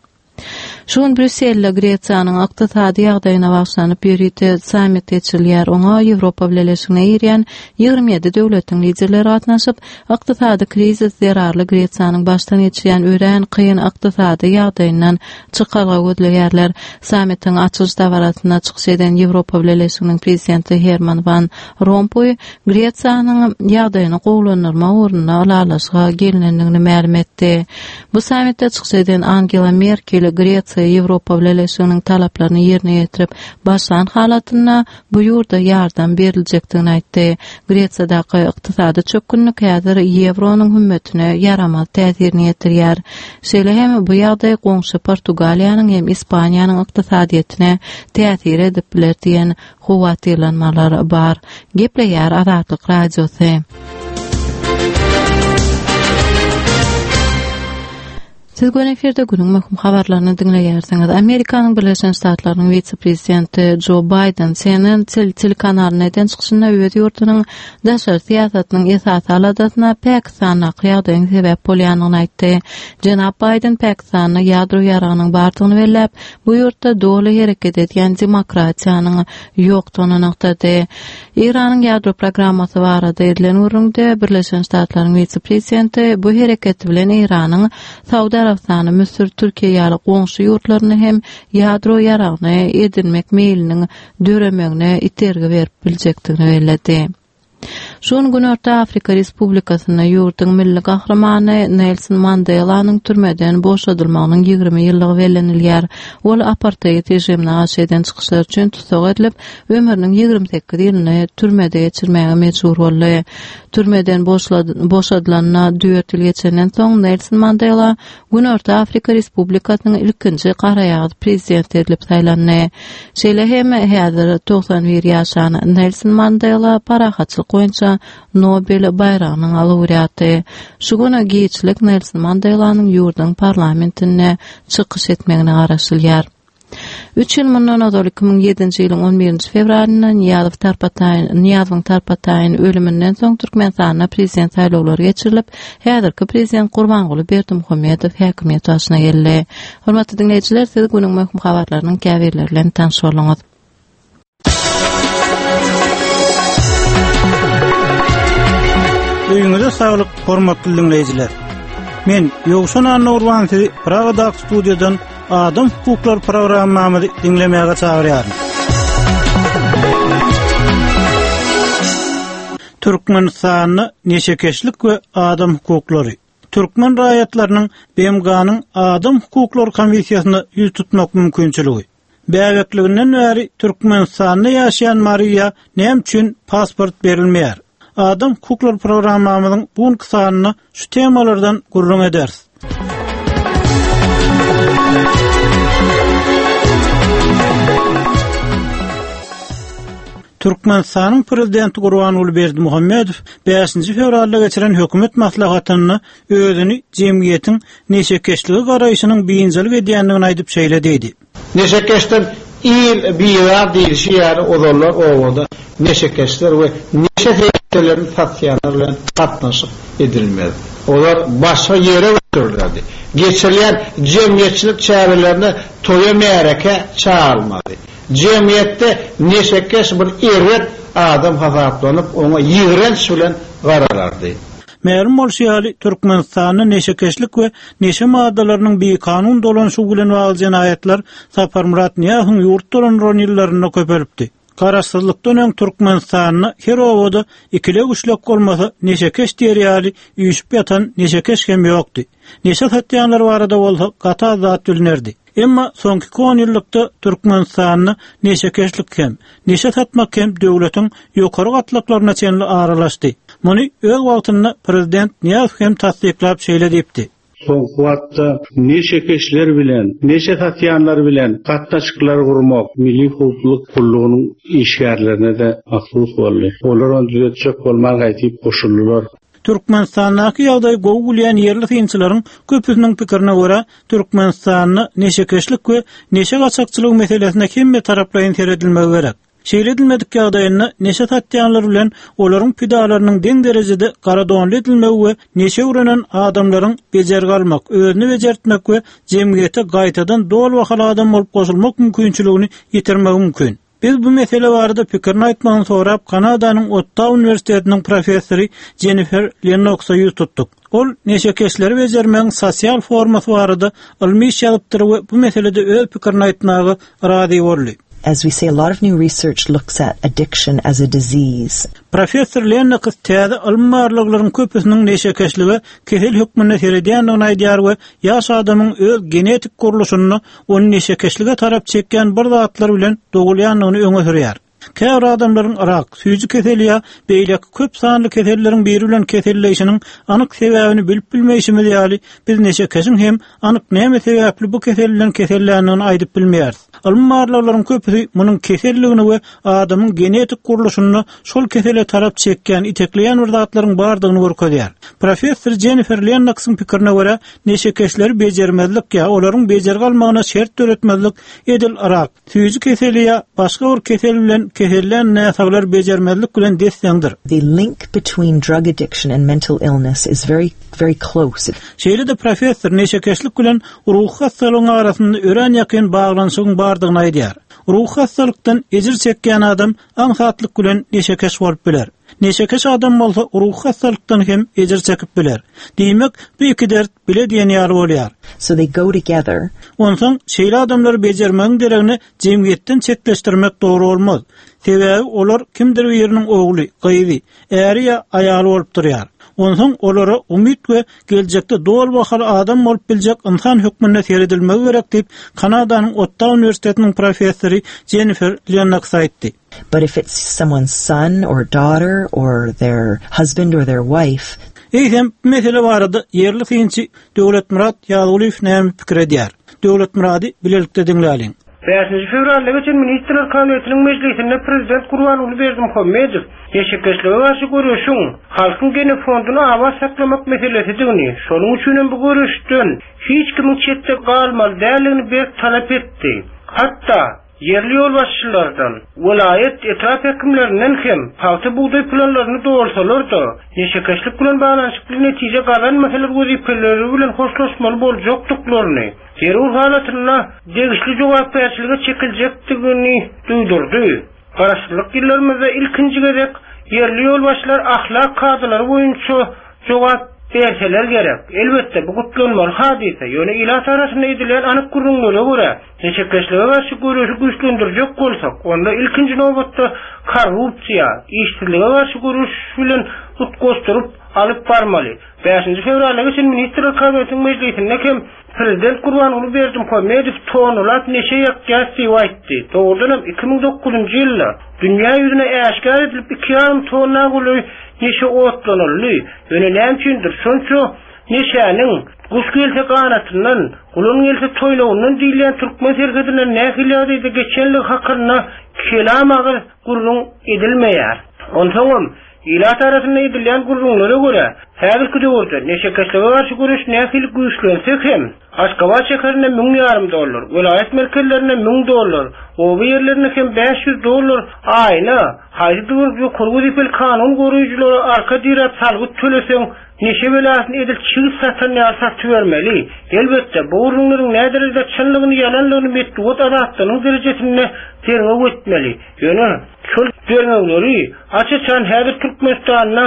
Şu gün Brýusselde Gresiýanyň ykdysady ýagdaýyna bagyşlanyp ýörite sammit geçirilýär. Oňa Ýewropa Bileleşigine girýän ýigrimi ýedi döwletiň liderleri gatnaşyp, ykdysady krizis zerarly Gresiýanyň başdan geçirýän örän kyn ykdysady ýagdaýyndan çykalga gözleýärler. Sammitiň açylyş dabarasynda çykyş eden Ýewropa Bileleşiginiň prezidenti Herman Van Rompuy Gresiýanyň ýagdaýyny gowulandyrmak ugrunda ylalaşyga gelinendigini mälim etdi. Bu sammitde çykyş eden Angela Merkel Gresiýa Ýewropa Bileleşiginiň talaplaryny ýerine ýetirip başlan halatynda bu ýurda ýardam beriljekdigini aýtdy. Gresiýadaky ykdysady çökgünlik häzir ýewronyň hümmetine ýaramaz täsirini ýetirýär. Şeýle hem bu ýagdaý goňşy Portugaliýanyň hem Ispaniýanyň ykdysadyýetine täsir edip biler diýen howatyrlanmalar bar. Gepleýär Azatlyk Radiosy. Siz gün efirde günüň möhüm habarlaryny diňleýärsiňiz. Amerikanyň Birleşen Ştatlarynyň wise-prezidenti Joe Biden C N N tel-, telekanalyna eden çykyşynda öz ýurdunyň daşary syýasatynyň esasy aladasyna Pakistandaky ýagdaýyň sebäp bolýandygyny aýtdy. Jenap Biden Pakistanda ýadro ýaragynyň bardygyny belläp, bu ýurtda doly hereket edýän demokratiýanyň ýokdugyny nygtady. Eýranyň ýadro programmasy barada edilen gürrüňde Birleşen Ştatlaryň wise-prezidenti bu hereketi bilen Eýranyň Saudi Arabystany, Müsür, Türkiýe ýaly goňşy ýurtlaryny hem ýadro ýaragyny edinmek meýliniň döremegine itergi berip biljekdigini belledi. Şu gün Günorta Afrika Respublikasynda ýurduň milli gahrymany Nelson Mandelanyň türmeden boşadylmagynyň ýigrimi ýyllygy bellenilýär. Ol aparteid režimine garşy eden çykyşlary üçin tussag edilip, ömrüniň ýigrimi sekiz ýylyny türmede geçirmäge mejbur boldy. Türmeden boşadylanyna dört ýyl geçenden soň Nelson Mandela Günorta Afrika Respublikasynyň ilkinji garaýagyz prezidenti edilip saýlandy. Şeýle hem häzir togsan bir ýaşan Nelson Mandela parahatçylyk boýunça Nobel baýragynyň laureaty. Şu gün giçlik Nelson Mandelanyň ýurduň parlamentinde çykyş etmegine garaşylýar. Üç ýyl mundan ozal iki müň ýedinji ýylyň on birinji fewralynda Nyýazow Tarpataýyn, Nyýazowyň Tarpataýyn ölüminden soň Türkmenistanda prezident saýlawlary geçirilip, häzirki prezident Gurbanguly Berdimuhamedow häkimiýet başyna geldi. Hormatly diňleýjiler, siz günüň möhüm habarlarynyň käbirleri bilen tanyş bolduňyz. Öýüňize saglyk, hormatly diňleýjiler. Men Ýowşan Annagurban sizi Pragadaky studiýadan Adam hukuklary programmamyzy diňlemäge çagyrýaryn. Türkmenistanda neşekeşlik we adam hukuklary. Türkmen raýatlarynyň B M G-nyň Adam hukuklary komissiýasyna ýüz tutmak mümkinçiligi. Bäbekliginden bäri Türkmenistanda ýaşaýan Mariýa näme üçin pasport berilmeýär? Adam hukuklary programmamyzyň bu günki sanynda şu temalardan gürrüň ederis. Türkmenistanyň prezidenti Gurbanguly Berdimuhamedow bäşinji fewralda geçiren hökümet maslahatynda özüni jemgyýetiň neşekeşligi garaýşynyň biynjalyk edýändigini aýdyp şeýle diýdi. Neşekeşden il birar diýilişi ýaly ozallar obada neşekeşler we neşe serişdelerini satýanlar bilen gatnaşyk edilmez. Olar başga ýere götürildi. Geçirilen jemgyýetçilik çärelerine toýa märeke çağırmaly. Jemgyýetde neşekeş bir erbet adam hasaplanyp, oňa ýigrenç bilen garalardy. Mälim bolşy ýaly, Türkmenistanda neşekeşlik we neşe maddalarynyň bikanun dolanşygy bilen bagly jenaýatlar Saparmyrat Nyýazowyň ýurt dolandyran ýyllarynda köpelipdi. Garaşsyzlykdan öň Türkmenistanda her obada ikili güçlük bolmasa neşekeş diýer ýaly üýşüp ýatan neşekeş hem ýokdy. Neşe satýanlar barada bolsa gaty az zat bilinerdi. Emma soňky on ýyllykda Türkmenistanda neşekeşlik hem, neşe satmak hem döwletiň ýokary gatlaklaryna çenli aralaşdy. Muny öz wagtynda prezident Nyýazow hem tassyklap şeýle diýipdi. Soňky wagtda neşekeşler bilen, neşe satýanlar bilen gatnaşyklar gurmak milli howpsuzlyk gullugynyň işgärlerine de mahsus boldy. Olar ony düzetjek bolman gaýtyp goşuldylar. Türkmenistandaky ýagdaý gowy gülýän ýerli synçylaryň köpüsiniň pikirine görä, Türkmenistanda neşekeşlik we neşe gaçakçylygy meselesine hemme taraplaýyn seredilmegi gerek. Şeýle edilmedik ýagdaýynda neşe satýanlar bilen olaryň pidalarynyň deň derejede garadonly edilmegi we neşe öwrenen adamlaryň bejergi almak, özüni bejertmek we jemgyýete gaýtadan doly bahaly adam bolup goşulmak mümkinçiligini ýitirmegi mümkin. Biz bu mesele barada pikirini aýtmagyny sorap Kanadanyň Ottawa Uniwersitetiniň professory Jennifer Lennoxa ýüz tutduk. Ol neşekeşleri bejermegiň sosial formasy barada ylmy iş ýazypdyr we bu meselede öz pikirini aýtmaga razy boldy. As we say, a lot of new research looks at addiction as a disease. Professor Lennox täze ylmy barlaglaryň köpüsiniň neşekeşlige kesel hökmünde seredýändigini aýdýar we ýaş adamyň öz genetik gurluşyny ony neşekeşlige tarap çekýän bir zatlar bilen dogulýandygyny öňe sürýär. Käbir adamlaryň rak, süýji keseli ýa beýleki köp sanly keselleriň biri bilen keselleýşiniň anyk sebäbini bilip bilmeýşimiz ýaly, biz neşekeşiň hem anyk näme sebäpli bu kesel bilen keselländigini aýdyp bilmeýäris. Ylmy barlaglaryň köpüsi munuň keselligini we adamyň genetik gurluşyny şol kesele tarap çekýän, itekleýän bir zatlaryň bardygyny görkezýär. Professor Jennifer Lennoxyň pikirine görä, neşekeşleri bejermezlik ýa olaryň bejergi almagyna şert döretmezlik edil rak, süýji keseli ýa başga bir kesel bilen kesellän näsaglar bejermezlik bilen desseňdir. The link between drug addiction and mental illness is very, very close. Şeýle-de professor neşekeşlik bilen ruhy hastalygyň arasynda örän ýakyn baglanyşygyň bardygyny aýdýar. Ruhy hastalykdan ejir çekýän adam aňsatlyk bilen neşekeş bolup biler. Neşekeş adam bolsa ruhy hassalykdan hem ejir çekip biler. Diýmek, bu iki dert bile diýen ýaly bolýar. So they go together. Onsoň şeýle adamlary bejermegiň deregine jemgyýetden çetleşdirmek dogry bolmaz. Sebäbi olar kimdir biriniň ogly, gyzy, äri ýa aýaly bolup durýar. Onsoň olara umyt we geljekde doly bahaly adam bolup biljek insan hökmünde seredilmegi gerek diýip, Kanadanyň Ottawa Uniwersitetiniň professory Jennifer Lennox aýtdy. But if it's someone's son or daughter or their husband or their wife, Eýsem, bu mesele barada ýerli synçy Döwletmyrat Ýazgulyýew näme pikir edýär? Döwletmyrady bilelikde diňläliň. Bäşinji fewralda geçen Ministrler Kabinetiniň mejlisinde Prezident Gurbanguly Berdimuhamedow neşekeşlige garşy göreşiň halkyň genofonduny abat saklamak meselesidigini, şonuň üçin hem bu göreşden hiç kimiň çetde galmaly däldigini berk talap etdi. Hatda ýerli ýolbaşçylardan, welaýat etrap häkimlerinden hem pagta bugdaý planlaryny dolsalar-da, neşekeşlik bilen baglanyşykly netije gazanmasalar wezipeleri bilen hoşlaşmaly boljakdyklaryny, zerur halatynda degişli jogapkärçilige çekiljekdigini duýdurdy. Garaşsyzlyk ýyllarymyzda ilkinji gezek ýerli ýolbaşçylar ahlak kadalary boýunça jogap berseler gerek. Elbetde bu gutlanmaly hadysa, ýöne ilat arasynda edilen anyk gürrüňlere görä, neşekeşlige garşy göreşi güýçlendirjek bolsak, onda ilkinji nobatda korrupsiýa, işsizlige garşy göreş bilen utgaşdyryp alyp barmaly. Bäşinji fewralda geçen Ministrler Kabinetiniň mejlisinde hem Prezident Gurbanguly Berdimuhamedow tonalap neşe ýakýar diýip aýtdy. Dogrudan hem iki müň dokuzynjy ýylda dünýä ýüzüne äşgär edilip iki ýarym tonna golaý neşe otlanyldy. Ýöne näme üçindir şonça neşäniň guş gelse ganatyndan, gulan gelse toýnagyndan diýilýän türkmen serhedinden nähili ýagdaýda geçenligi hakynda kelam agyz gürrüň edilmeýär. Onsoňam ilat arasynda edilýän gürrüňlere görä, häzirki döwürde neşekeşlige garşy göreş nähili güýçlense hem, Aşgabat şäherinde müň ýarym dollar, welaýat merkezlerinde müň dollar, oba ýerlerinde hem bäş ýüz dollar aýyna haýsydyr bir ýokary wezipeli kanun goraýjylara arka diräp salgyt töleseň, neşe belasyny edil çigit satan ýaly satybermeli. Elbetde, bu gürrüňleriň näderejede çynlygyny, ýalanlygyny metbugat azatlygynyň derejesinde derňew etmeli. Ýöne şol derňewleri aç-açan häzir Türkmenistanda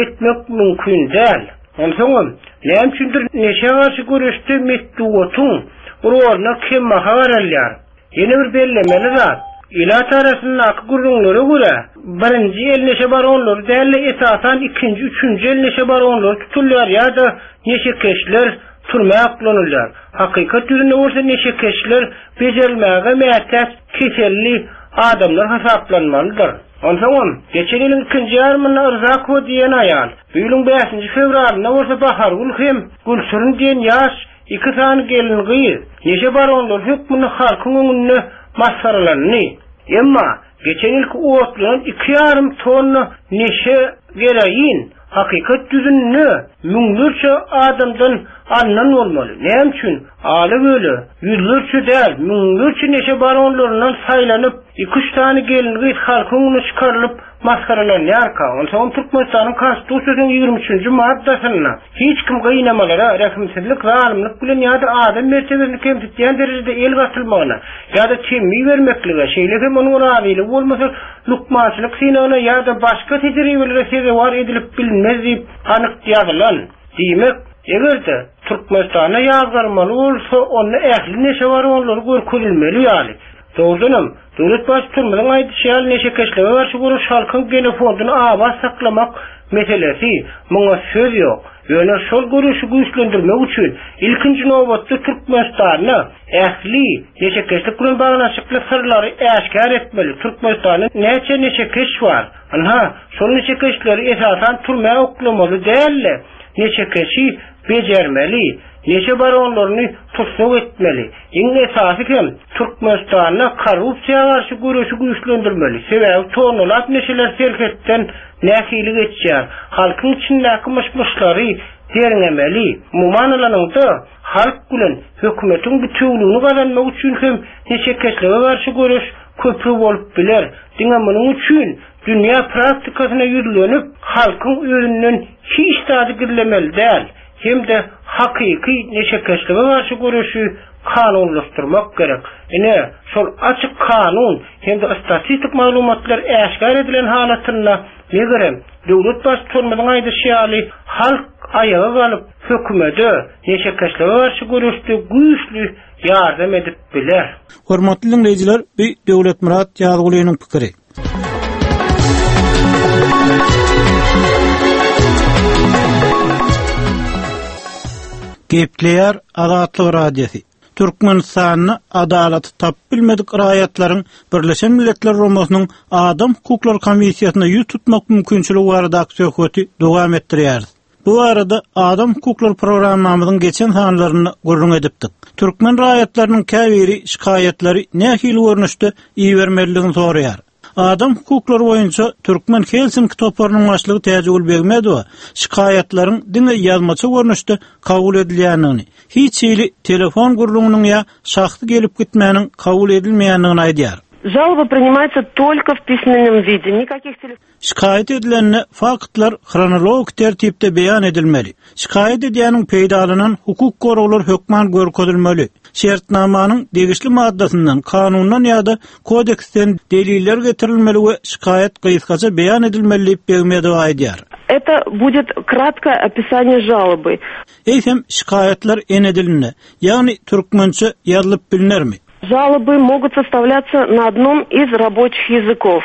etmek mümkin däl. Onsoňam, näme üçindir neşä garşy göreşde metbugatyň roluna kembaha garalýar. Ýene bir bellemeli zat, ilat arasyndaky gürrüňlere görä, birinji el neşe baronlary däl-de esasan ikinji, üçünji el neşe baronlary tutulýar ýa-da neşekeşler türmä oklanylýar. Hakykat ýüzünde bolsa neşekeşler bejerilmäge mätäç keselli adamlar hasaplanmalydyr. Onsoňam, geçen ýylyň ikinji ýarymynda Rzakowa diýen aýal, bu ýylyň bäşinji fewralynda bolsa Bahargül hem Gülşirin diýen ýaş iki sany gelin gyz neşe baronlary hökmünde halkyň öňünde masgaralandy. Emma geçen ýylky otlanan iki ýarym tonna neşe gereýin hakykat ýüzünde müňlerçe adamdan alnan bolmaly. Näme üçin? Aly böle ýüzlerçe däl, müňlerçe neşe baronlaryndan saýlanyp, iki üç sany gelin gyz halkyň öňüne çykarylyp masgaralanýarka. Onsoň Türkmenistanyň Konstitusiýasynyň ýigrimi üçünji maddasynda hiç kim gynamalara, rehimsizlik, zalymlyk bilen ýa-da adam mertebesini kemsitýän derejede el gatylmagyna ýa-da temmi bermeklige, şeýle hem onuň razylygy bolmasa lukmançylyk synagyna ýa-da başga tejribelere sezewar edilip bilinmez diýip anyk ýazylan. Diýmek, eger-de Türkmenistanda ýazgarmaly bolsa, onda ähli neşe baronlary görkezilmeli ýaly. Dogrudanam, döwlet baştutanymyzyň aýdyşy ýaly neşekeşlige garşy göreş halkyň genofonduny abat saklamak meselesi, muňa söz ýok. Ýöne şol göreşi güýçlendirmek üçin ilkinji nobatda Türkmenistanda ähli neşekeşlik bilen baglanyşykly syrlary äşgär etmeli. Türkmenistanda näçe neşekeş bar? Ynha, şol neşekeşleri esasan türmä oklamaly däl-de, neşekeşi bejermeli, neşe baronlaryny tussag etmeli. Iň esasy hem Türkmenistanda korrupsiýa garşy göreşi güýçlendirmeli. Sebäbi tonalap neşeler serhetden nähili geçýär? Halkyň içindäki myş-myşlary derňemeli. Umuman alanyňda, halk bilen hökümetiň bütewligini gazanmak üçin hem neşekeşlige garşy göreş köpri bolup biler. Diňe munuň üçin dünýä praktikasyna ýüzlenip, halkyň özünden hiç zady gizlemeli däl, hem-de hakyky neşekeşlige garşy göreşi kanunlaşdyrmak gerek. Ine, şol açyk kanun hem-de statistik maglumatlar äşgär edilen halatynda Megerem, döwlet baştutanymyzyň aýdyşy ýaly, halk aýaga galyp, hökümete, neşekeşlige garşy göreşde güýçli ýardam edip biler. Hormatly diňleýjiler, bu Döwletmyrat Ýazgulynyň pikiri. Gepleýär Azatlyk Radiosy. Türkmenistanda adalaty tapyp bilmedik raýatlaryň Birleşen Milletler Guramasynyň Adam Hukuklary Komissiýasyna ýüz tutmak mümkinçiligi baradaky söhbeti dowam etdirýäris. Bu arada Adam Hukuklary programmamyzyň geçen sanlarynda gürrüň edipdik. Türkmen raýatlarynyň käbiri şikaýatlary nähili görnüşde ibermelidigini soraýar. Adam hukuklary boýunça Türkmen Helsinki toparynyň başlygy Täjigül Begmedowa şikaýatlaryň diňe ýazmaça görnüşde kabul edilýändigini, hiç hili telefon gürrüňiniň ýa şahsy gelip gitmäniň kabul edilmeýändigini aýdýar. Жалоба принимается только в письменном виде. Никаких телефонов. Şikaýat edilende faktlar hronologik tertipde beýan edilmeli. Şikaýat edýäniň peýdalanan hukuk goraglar hökman görkezilmeli. Şertnamanyň degişli maddasyndan, kanundan ýa-da kodeksden deliller getirilmeli we şikaýat gysgaça beýan edilmeli diýip Begmedowa aýdýar. Это будет краткое описание жалобы. Eýsem şikaýatlar ene dilinde, ýagny türkmençe ýazylyp bilinermi? Жалобы могут составляться на одном из рабочих языков.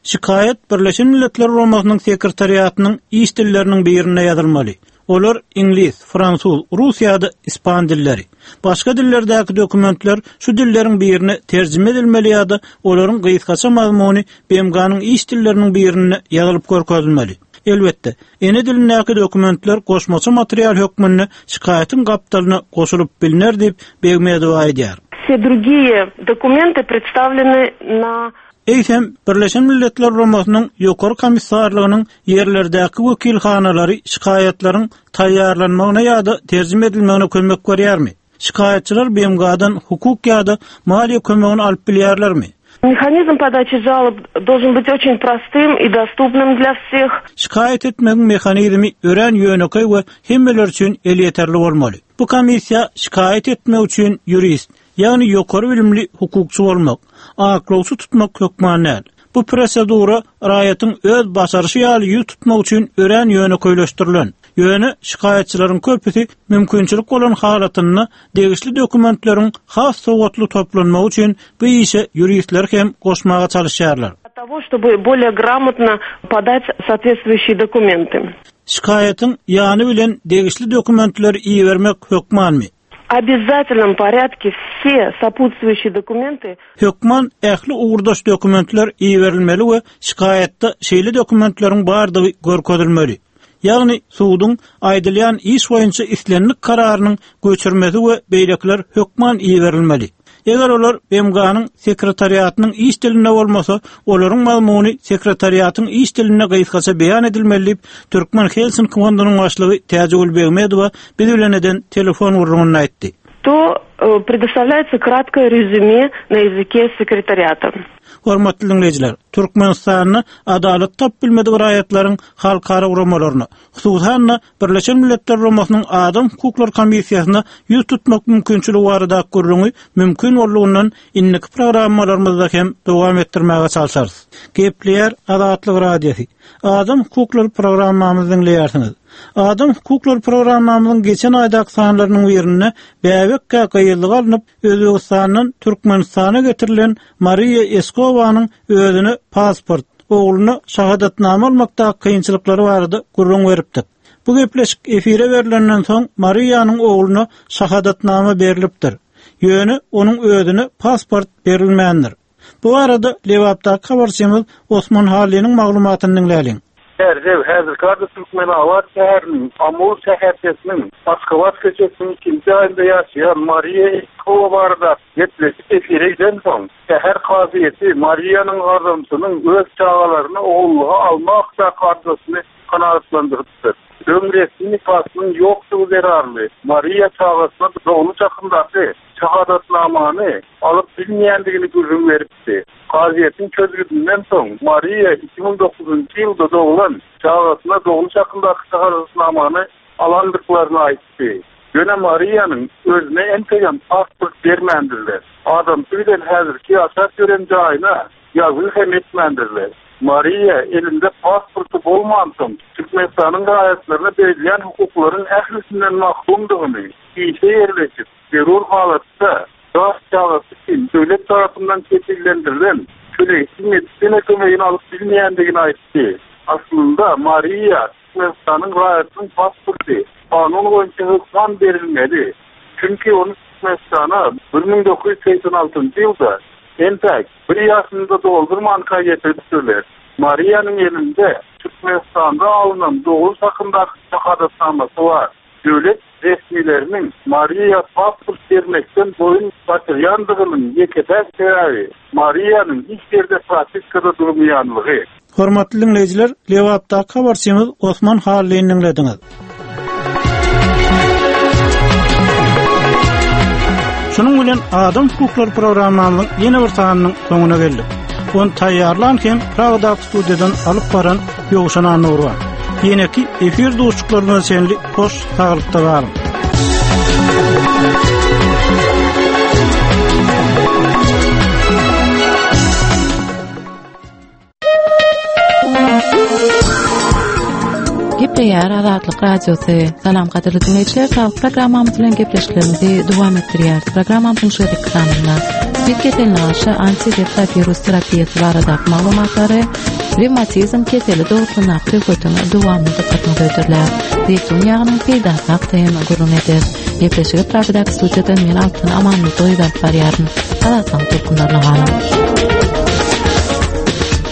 Şikaýat Birleşen Milletler Guramasynyň sekretariatynyň iş dilleriniň birinde ýazylmaly. Olar iňlis, fransuz, rus ýa-da ispan dilleri. Başga dillerdäki dokumentler şu dilleriň birine terjime edilmeli ýa-da olaryň gysgaça mazmuny B M G-nyň iş dilleriniň birinde ýazylyp görkezilmeli. Elbetde, ene dilindäki dokumentler goşmaça material hökmünde şikaýatyň gapdalyna goşulyp biliner diýip Begmedowa aýdýar. Все другие документы представлены на Eýsem, Birleşen Milletler Guramasynyň Ýokary Komissarlygynyň ýerlerdäki wekilhanalary şikaýatlaryň taýýarlanmagyna ýa-da terjime edilmegine kömek berýärmi? Şikaýatçylar B M G-dan hukuk ýa-da maliýe kömegini alyp bilýärlermi? Механизм подачи жалоб должен быть очень простым и доступным для всех. Şikaýat etmegiň mehanizmi örän ýönekeý we hemmeler üçin elýeterli bolmaly. Bu komissiýa şikaýat etmek üçin ýurist, ýagny ýokary bilimli hukukçy bolmak, aklawçy tutmak hökman däl. Bu prosedura raýatyň öz başaryşy ýaly ýüz tutmak üçin örän ýönekeýleşdirilen. Ýöne şikaýatçylaryň köpüsi mümkinçilik bolan halatynda degişli dokumentleriň has sowatly toplanmagy üçin bu işe ýuristler hem goşmaga çalışýarlar. Того, чтобы более грамотно подать соответствующие документы. Şikaýatyň ýany bilen degişli dokumentleri ibermek hökmanmy? Обязательном порядке все сопутствующие документы Hökman ähli ugurdaş dokumentler iberilmeli we şikaýatda şeýle dokumentleriň bardygy görkezilmeli. Ýagny suduň aýdylýan iş boýunça islendik kararynyň göçürmesi we beýlekiler hökman iberilmeli. Eger olar B M G-nyň sekretariatynyň iş dilinde bolmasa, olaryň mazmuny sekretariatyň iş dilinde gysgaça beýan edilmeli diýip, Türkmen Helsinki fondunyň başlygy Täjigül Begmedowa biz bilen eden telefon gürrüňinde aýtdy. То э, предоставляется краткое резюме на языке секретариата. Hormatly dinleýjiler, Türkmenistanda adalat tapyp bilmedik raýatlaryň halkara guramalaryna, hususan Birleşen Milletler Guramasynyň Adam Hukuklary Komissiýasyna ýüz tutmak mümkinçiligi barada gürrüňi mümkin boldugynyň indiki programmalarymyzda hem dowam etdirmäge çalışarys. Gepleýär Azatlyk Radiosy. Adam Hukuklary programmamyzy dinleýärsiňiz. Adam Hukuklary programmamyzyň geçen aýdaky sanlarynyň birinde bäbekkä gyýyllyga alnyp Özbegistandan Türkmenistana getirilen Mariýa Eskowanyň özüne pasport, ogluna şahadatnama almakda kynçylyklary barada gürrüň beripdik. Bu gepleşik efire berilenden soň Mariýanyň ogluna şahadatnama berilipdir. Ýöne onuň özüne pasport berilmändir. Bu arada Lebapdaky habarçymyz Osman Hallynyň maglumatyny diňläliň. Erdev häzirki Türkmenabat şäheriniň Amul şäherçesiniň Aşgabat köçesiniň ikinji aýynda ýaşaýan Mariýa Eskowa barada gepleşik efire giden soň, şäher kazyýeti Mariýanyň adamsynyň öz çagalaryny ogullyga almak arzasyny kanagatlandyrypdyr. Öň resmi nikasynyň ýokdugy zerarly Mariýa çagasyna dogluş hakyndaky şahadatnamany alyp bilmeýändigini gürrüň beripdi. Kazyýetiň çözgüdinden soň Mariýa iki müň dokuzynjy ýylda doglan çagasyna dogluş hakyndaky şahadatnamany alandyklaryny aýtdy. Ýöne Mariýanyň özüne entegem pasport bermändirler. Adamsy bilen häzirki ýaşap ýören jaýyna ýazgy hem etmändirler. Mariýa elinde pasporty bolmansoň, Türkmenistanyň raýatlaryna berilýän hukuklaryň ählisinden mahrumdygyny, işe ýerleşip, zerur halatda ýaş çagasy üçin döwlet tarapyndan kepillendirilen tölegsiz medisina kömegini alyp bilmeýändigini aýtdy. Aslynda Mariýa Türkmenistanyň raýatynyň pasporty kanun boýunça hökman berilmeli. Çünki ony Türkmenistana bir müň dokuz ýüz segsen altynjy ýylda entäk bir ýaşyny-da doldurmanka getiripdirler. Mariýanyň elinde Türkmenistanda alnan dogruş hakyndaky şahadatnamasy bar. Döwlet resmileriniň Mariýa pasport bermekden boýun gaçyrýandygynyň ýeke-täk sebäbi Mariýanyň hiç ýerde propiskada durmaýanlygy. Hormatly dinleýjiler, Lebapdaky habarçymyz Osman Hallyny diňlediňiz. Şunuň bilen Adam hukuklary programmamyzyň ýene bir sanynyň soňuna geldik. Ony taýýarlan hem Pragadaky studiýadan alyp baran Ýowşan Annurwa. Ýeneki efir duşuşyklaryna çenli hoş saglykda galyň. Gepleýär Azatlyk Radiosy. Salam gadyrly dinleýjiler, saglyk programmamyz bilen gepleşiklerimizi dowam etdirýäris. Programmamyzyň şu gezekki sanynda spid keseline garşy antiretrovirus terapiýasy baradaky maglumatlary, revmatizm keseli dogrusyndaky söhbetiň dowamyny dykgatyňyza hödürlär. Zeýtun ýagynyň peýdasy hakda hem gürrüň ederis. Gepleşigi Pragadaky studiýadan men Altyn Amanmyradowa alyp barýaryn. Azatlygyň tolkunlaryna galyň.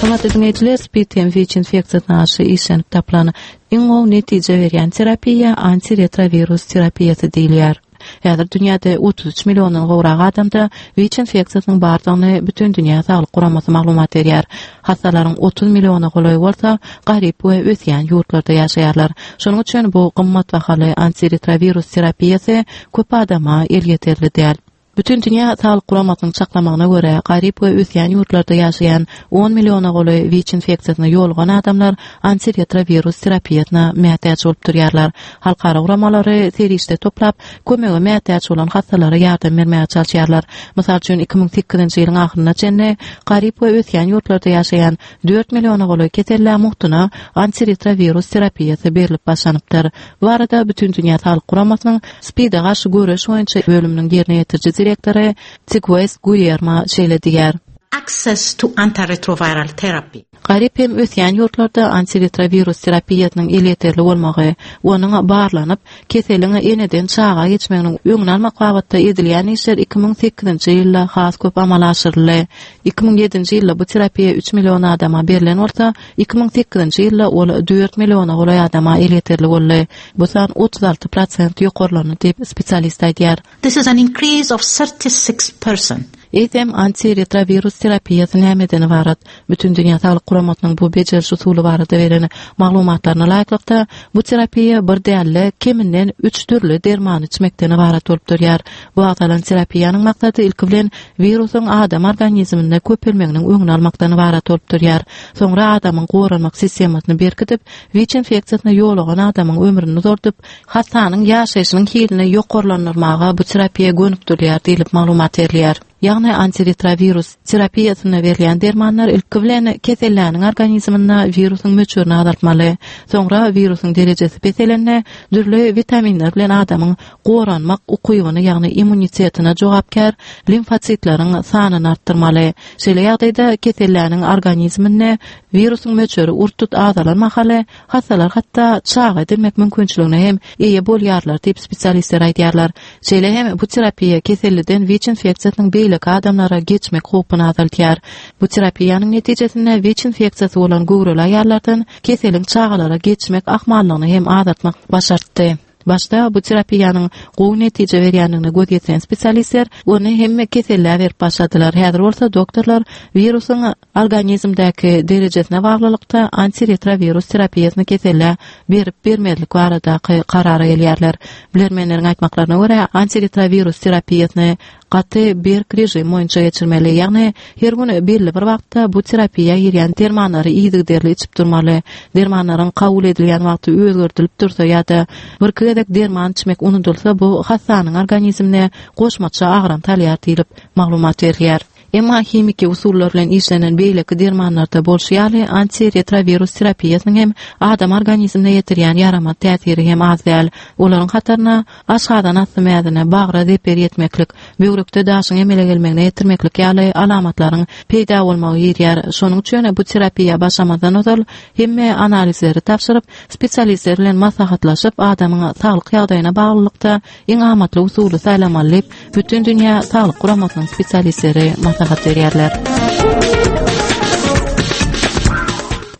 Hormatly dinleýjiler, spid hem WIÇ infeksiýasyna garşy işlenip tapylan iň gowy netije berýän terapiýa antiretrovirus terapiýasy diýilýär. Häzir dünýäde otuz üç milliondan gowrak adamda WIÇ infeksiýasynyň bardygyny Bütindünýä Saglyk Guramasy maglumat berýär. Hassalaryň otuz milliona golaýy bolsa garyp we ösýän ýurtlarda ýaşaýarlar. Şonuň üçin bu gymmat bahaly antiretrovirus terapiýasy köp adama elýeterli däl. Bütindünýä Saglyk Guramasynyň çaklamagyna görä, garyp we ösýän ýurtlarda ýaşaýan on milliona golaý WIÇ infeksiýasyna ýolugan adamlar antiretrovirus terapiýasyna mätäç bolup durýarlar. Halkara guramalary serişde toplap, kömege mätäç bolan hassalara ýardam bermäge çalyşýarlar. Mysal üçin, iki müň sekizinji ýylyň ahyryna çenli garyp we ösýän ýurtlarda ýaşaýan dört milliona golaý kesellä mugtuna antiretrovirus terapiýasy berlip başlanypdyr. Bu arada Bütindünýä Saglyk Guramasynyň SPID-e garşy göreş boýunça bölüminiň ýerine ýetiriji direktory Tigues Guillermo şeýle diýýär. Access to antiretroviral therapy. Garyp hem ösýän ýurtlarda antiretrovirus terapiýasynyň elýeterli bolmagy, onuň barlanyp, keseliň eneden çaga geçmeginiň öňüni almak babatda edilýän işler iki müň sekizinji ýylda has köp amala aşyryldy. Iki müň ýedinji ýylda bu terapiýa üç million adama berlen bolsa, iki müň sekizinji ýylda ol dört milliona golaý adama elýeterli boldy. Bu san otuz alty prosent ýokarlandy diýip spesialist aýdýar. This is an increase of thirty-six percent. Eýsem antiretrovirus terapiýasy nämeden ybarat? Bütindünýä Saglyk Guramasynyň bu bejeriş usuly barada beren maglumatlaryna laýyklykda, bu terapiýa bir däl-de, keminden üç dürli dermany içmekden ybarat bolup durýar. Bu agzalan terapiýanyň maksady ilki bilen wirusyň adam organizminde köpelmeginiň öňüni almakdan ybarat bolup durýar. Soňra adamyň goranmak sistemasyny berkidip, WIÇ infeksiýasyna ýolugan adamyň ömrüni uzaldyp, hassanyň ýaşaýşynyň hilini ýokarlandyrmaga bu terapiýa gönükdirilýär diýlip maglumat berilýär. Ýagny antiretrovirus terapiýasyna berilýän dermanlar ilki bilen keselläniň organizminde wirusyň möçberini azaltmaly. Soňra wirusyň derejesi peselende dürli witaminler bilen adamyň goranmak ukybyny, ýagny immunitetine jogapkär limfositleriň sanyny artdyrmaly. Şeýle ýagdaýda keselläniň organizminde wirusyň möçberi urt-tut azalan mahaly hassalar hatda çaga edinmek mümkinçiligine hem eýe bolýarlar diýip spesialistler aýdýarlar. Şeýle hem bu terapiýa keselliden WIÇ infeksiýasynyň beýleki adamlara geçmek howpuny azaltýar. Bu terapiýanyň netijesinde WIÇ infeksiýasy bolan göwreli aýallardan keseliň çagalara geçmek ahmallygyny hem azaltmak başartdy. Başda bu terapiýanyň gowy netije berýändigine göz ýetiren spesialistler ony hemme kesellä berip başladylar. Häzir bolsa doktorlar wirusyň organizmdäki derejesine baglylykda antiretrovirus terapiýasyny kesellä berip bermezlik baradaky karara gelýärler. Bilermenleriň aýtmaklaryna görä, antiretrovirus terapiýasyny gaty berk rejim boýunça geçirmeli. Ýagny her gün belli bir wagtda bu terapiýa girýän dermanlary yzygiderli içip durmaly. Dermanlaryň kabul edilýän wagty özgerdilip dursa ýa-da bir iki gezek derman içmek unudylsa, bu hassanyň organizmine goşmaça agram salýar diýlip maglumat berilýär. Emma himiki usullar bilen işlenen beýleki dermanlarda bolşy ýaly, antiretrowirus terapiýasynyň hem adam organizmine ýetirýän ýaramaz täsiri hem az däl. Olaryň hataryna aşgazan asty mäzine, bagra zeper ýetmeklik, böwrekde daşyň emele gelmegine ýetirmeklik ýaly alamatlaryň peýda bolmagy girýär. Şonuň üçin bu terapiýa başlamazdan ozal hemme analizleri tabşyryp, spesialistler bilen maslahatlaşyp, adamyň saglyk ýagdaýyna baglylykda iň amatly usuly saýlamaly diýip, Bütindünýä Saglyk Guramasynyň spesialistleri maslahat berýärler.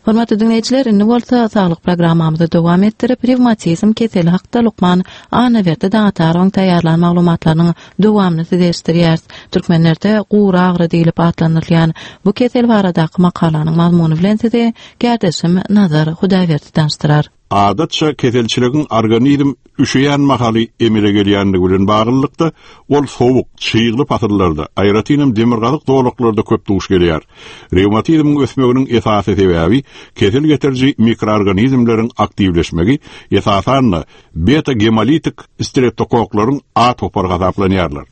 Hormatly diňleýjiler, indi bolsa saglyk programmamyzy dowam etdirip, rewmatizm keseli hakda lukman Annaberdi Daňatarowyň taýýarlan maglumatlarynyň dowamyny size eşitdirýäris. Türkmenlerde gury agyry diýlip atlandyrylýan bu kesel baradaky makalanyň mazmuny bilen sizi kärdeşim Nazar Hudaýberdi tanyşdyrar. Adatça keselçiligiň organizm üşeýän mahaly emele gelýändigi bilen baglylykda, ol sowuk, çygly pasyllarda, aýratynam demirgazyk zolaklarda köp duş gelýär. Rewmatizmiň ösmeginiň esasy sebäbi kesel getiriji mikroorganizmleriň aktiwleşmegi, esasan-da, beta-gemolitik streptokoklaryň A topary hasaplanýarlar.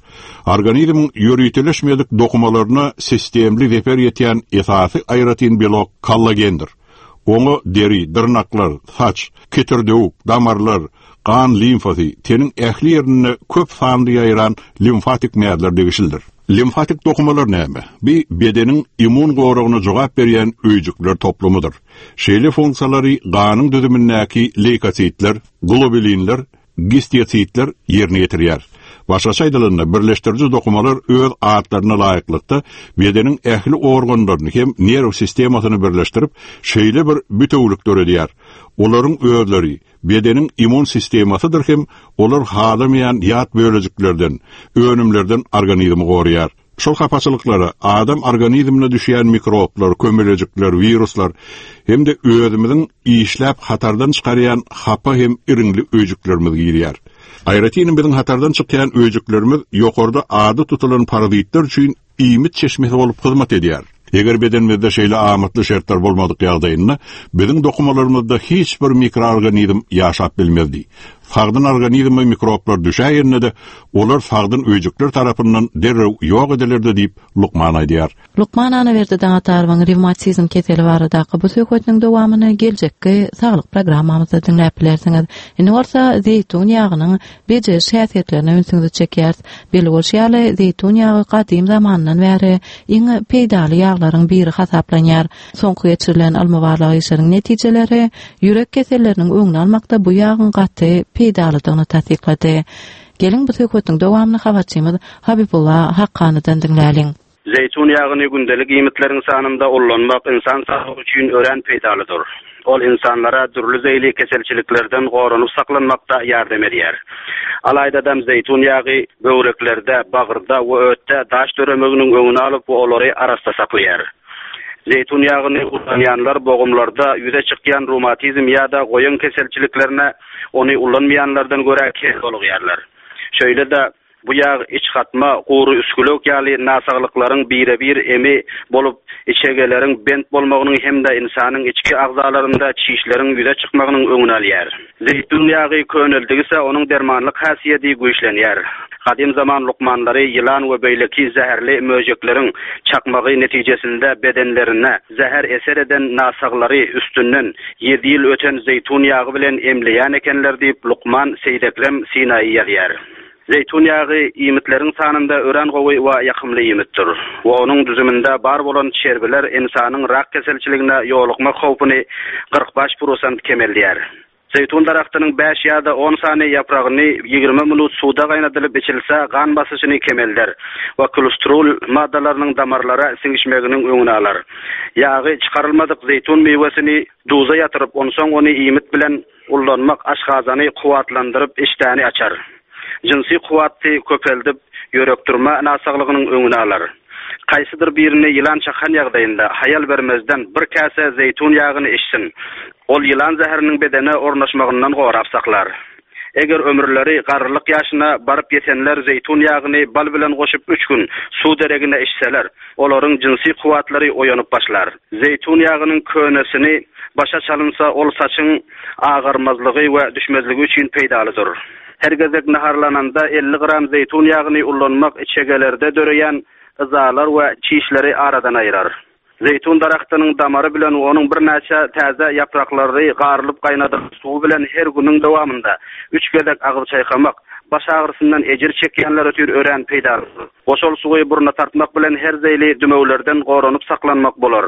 Organizmiň ýöriteleşmedik dokumalaryna sistemli zeper ýetýän esasy aýratyn belok kollagendir. Oňa deri, dyrnaklar, saç, ketirdewük, damarlar, gan limfasy, teniň ähli ýerinde köp sanly ýaýran limfatik mäzler degişlidir. Limfatik dokumalar näme? Bi bedeniň immun goragyna jogap berýän öýjükler toplumydyr. Şeýle funksiýalary ganyň düzümindäki leýkositler, globulinler, gistiositler ýerine ýetirýär. Başgaça aýdylanda, birleşdiriji dokumalar öz atlaryna laýyklykda bedeniň ähli organlaryny hem nerw sistemasyny birleşdirip, şeýle bir bitewülik döredýär. Olaryň özleri bedeniň immun sistemasydyr hem olar halamaýan ýat bölejiklerden, önümlerden organizmi goraýar. Şol hapaçylyklara adam organizmine düşýän mikroblar, kömelejikler, wiruslar hem-de özümiziň işläp hatardan çykarýan hapa hem iriňli öýjüklerimiz girýär. Aýratyn biziň hatardan çykýan öýjüklerimiz ýokarda ady tutulan parazitler üçin iýmit çeşmesi bolup hyzmat edýär. Eger bedenimizde şeýle amatly şertler bolmadyk ýagdaýynda, biziň dokumalarymyzda hiç bir mikroorganizm ýaşap bilmezdi. Sagdyn organizme mikroblar düşäýende-de, olar sagdyn öýjükler tarapyndan derrew ýok edilerdi diýip, lukman aýdýar. Lukman Annaberdi Daňatarowyň rewmatizm keseli baradaky bu söhbetiniň dowamyny geljekki saglyk programmamyzda diňläp bilersiňiz. Indi bolsa zeýtun ýagynyň bejeriş häsiýetlerine ünsüňizi çekýäris. Belli bolşy ýaly, zeýtun ýagy gadym zamandan bäri iň peýdaly ýaglaryň biri hasaplanýar. Soňky geçirilen ylmy-barlag işleriniň netijeleri ýürek keselleriniň öňüni almakda bu ýagyň gaty peýdalydygyny tassyklady. Geliň bu söhbetiň dowamyny habarçymyz Habibulla Hakkanydan diňläliň. Zeýtun ýagyny gündelik iýmitleriň sanynda ullanmak ynsan saglygy üçin örän peýdalydyr. Ol ynsanlara dürli zeýli keselçiliklerden goranyp saklanmakda ýardam edýär. Alaýdadam zeýtun ýagy böwreklerde, bagyrda we ötde daş döremeginiň öňüni alyp we olary arassa saklaýar. Zeýtun ýagyny ulanýanlar bogumlarda ýüze çykýan rewmatizm ýa-da goýun keselçiliklerine ony ulanmaýanlardan görä kem bolugýarlar. Şeýle-de bu ýag iç gatma, gury üsgülewük ýaly násaglyklaryň bire-bir emi bolup, içegeleriň bent bolmagynyň hem-de ynsanyň içki agzalarynda çişleriň ýüze çykmagynyň öňüni alýar. Zeýtun ýagy köneldigise onuň dermanlyk häsiýeti güýçlenýär. Gadym zaman lukmanlary ýylan we beýleki zäherli möjekleriň çakmagy netijesinde bedenlerine zäher eser eden násaglary üstünden ýedi ýyl öten zeýtun ýagy bilen emleýän ekenler diýip, lukman Seýdekrem Sinaýy ýazýar. Zeýtun ýagy iýmitleriň sanynda örän gowy we ýakymly iýmitdir we onuň düzüminde bar bolan çerbiler ynsanyň rak keselçiligine ýolukmak howpuny kyrk bäş prosent kemeldýär. Zeýtun daragtynyň bäş ýa-da on sany ýapragyny ýigrimi minut suwda gaýnadylyp içilse, gan basyşyny kemelder we kolesterol maddalarynyň damarlara siňişmeginiň öňüni alar. Ýagy çykarylmadyk zeýtun miwesini duza ýatyryp, onsoň ony iýmit bilen ullanmak aşgazany kuwwatlandyryp, işdäni açar. Jynsy kuwwaty köpeldip, ýörekdurma násaglygynyň öňüni alar. Kaýsydyr birini ýylan çakan ýagdaýynda haýal bermezden bir käse zeýtun ýagyny içsin. Ol ýylan zäheriniň bedene ornaşmagyndan gorap saklar. Eger ömürleri garrylyk ýaşyna baryp ýetenler zeýtun ýagyny bal bilen goşup üç gün suw deregine içseler, olaryň jynsy kuwwatlary oýanyp başlar. Zeýtun ýagynyň könesini başa çalynsa, ol saçyň agarmazlygy we düşmezligi üçin peýdalydyr. Her gezek naharlananda elli gram zeýtun ýagyny ullanmak içegelerde döreýän yzalar we çişleri aradan aýyrar. Zeýtun daragtynyň damary bilen onuň birnäçe täze ýapraklary garylyp gaýnadylan suwy bilen her günüň dowamynda üç gezek agyz çaýkamak, baş agyrysyndan ejir çekýänler üçin örän peýdalydyr. Goşal suwy burna tartmak bilen her zeýli dümewlerden goranyp saklanmak bolar.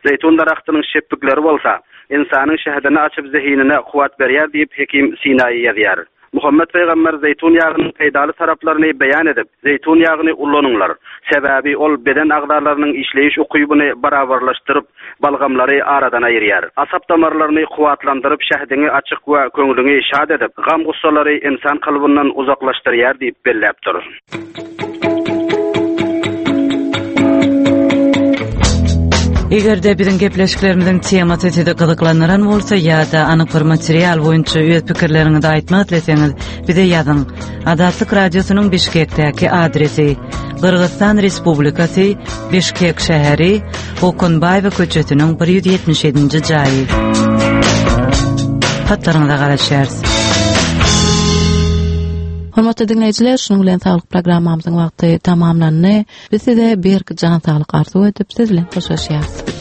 Zeýtun daragtynyň şepbikleri bolsa, ynsanyň şähdini açyp zehinine kuwwat berýär diýip Hekim Sinaýy ýazýar. Muhammet pygamber zeýtun ýagynyň peýdaly taraplaryny beýan edip, zeýtun ýagyny ulanyňlar. Sebäbi ol beden agzalarynyň işleýiş ukybyny barabarlaşdyryp, balgamlary aradan aýyrýar. Asap damarlaryny kuwwatlandyryp, şähdiňi açyk we köňlüňi şat edip, gam-gussalary ynsan kalbyndan uzaklaşdyrýar diýip belläpdir. Eger-de biziň gepleşiklerimiziň temasy sizi gyzyklandyran bolsa ýa-da anyk bir material boýunça öz pikirleriňizi aýtmak isleseňiz, bize ýazyň. Azatlyk Radiosynyň Bişkekdäki adresi: Gyrgyzystan Respublikasy, Bişkek şäheri, Okunbaýewa köçesiniň bir ýüz ýetmiş ýedinji jaýy. Hatlaryňyza garaşýarys. Hormatly diňleýjiler, şunuň bilen saglyk programmamyzyň wagty tamamlandy. Biz size berk jan saglyk arzuw edip, siz bilen hoşlaşýarys.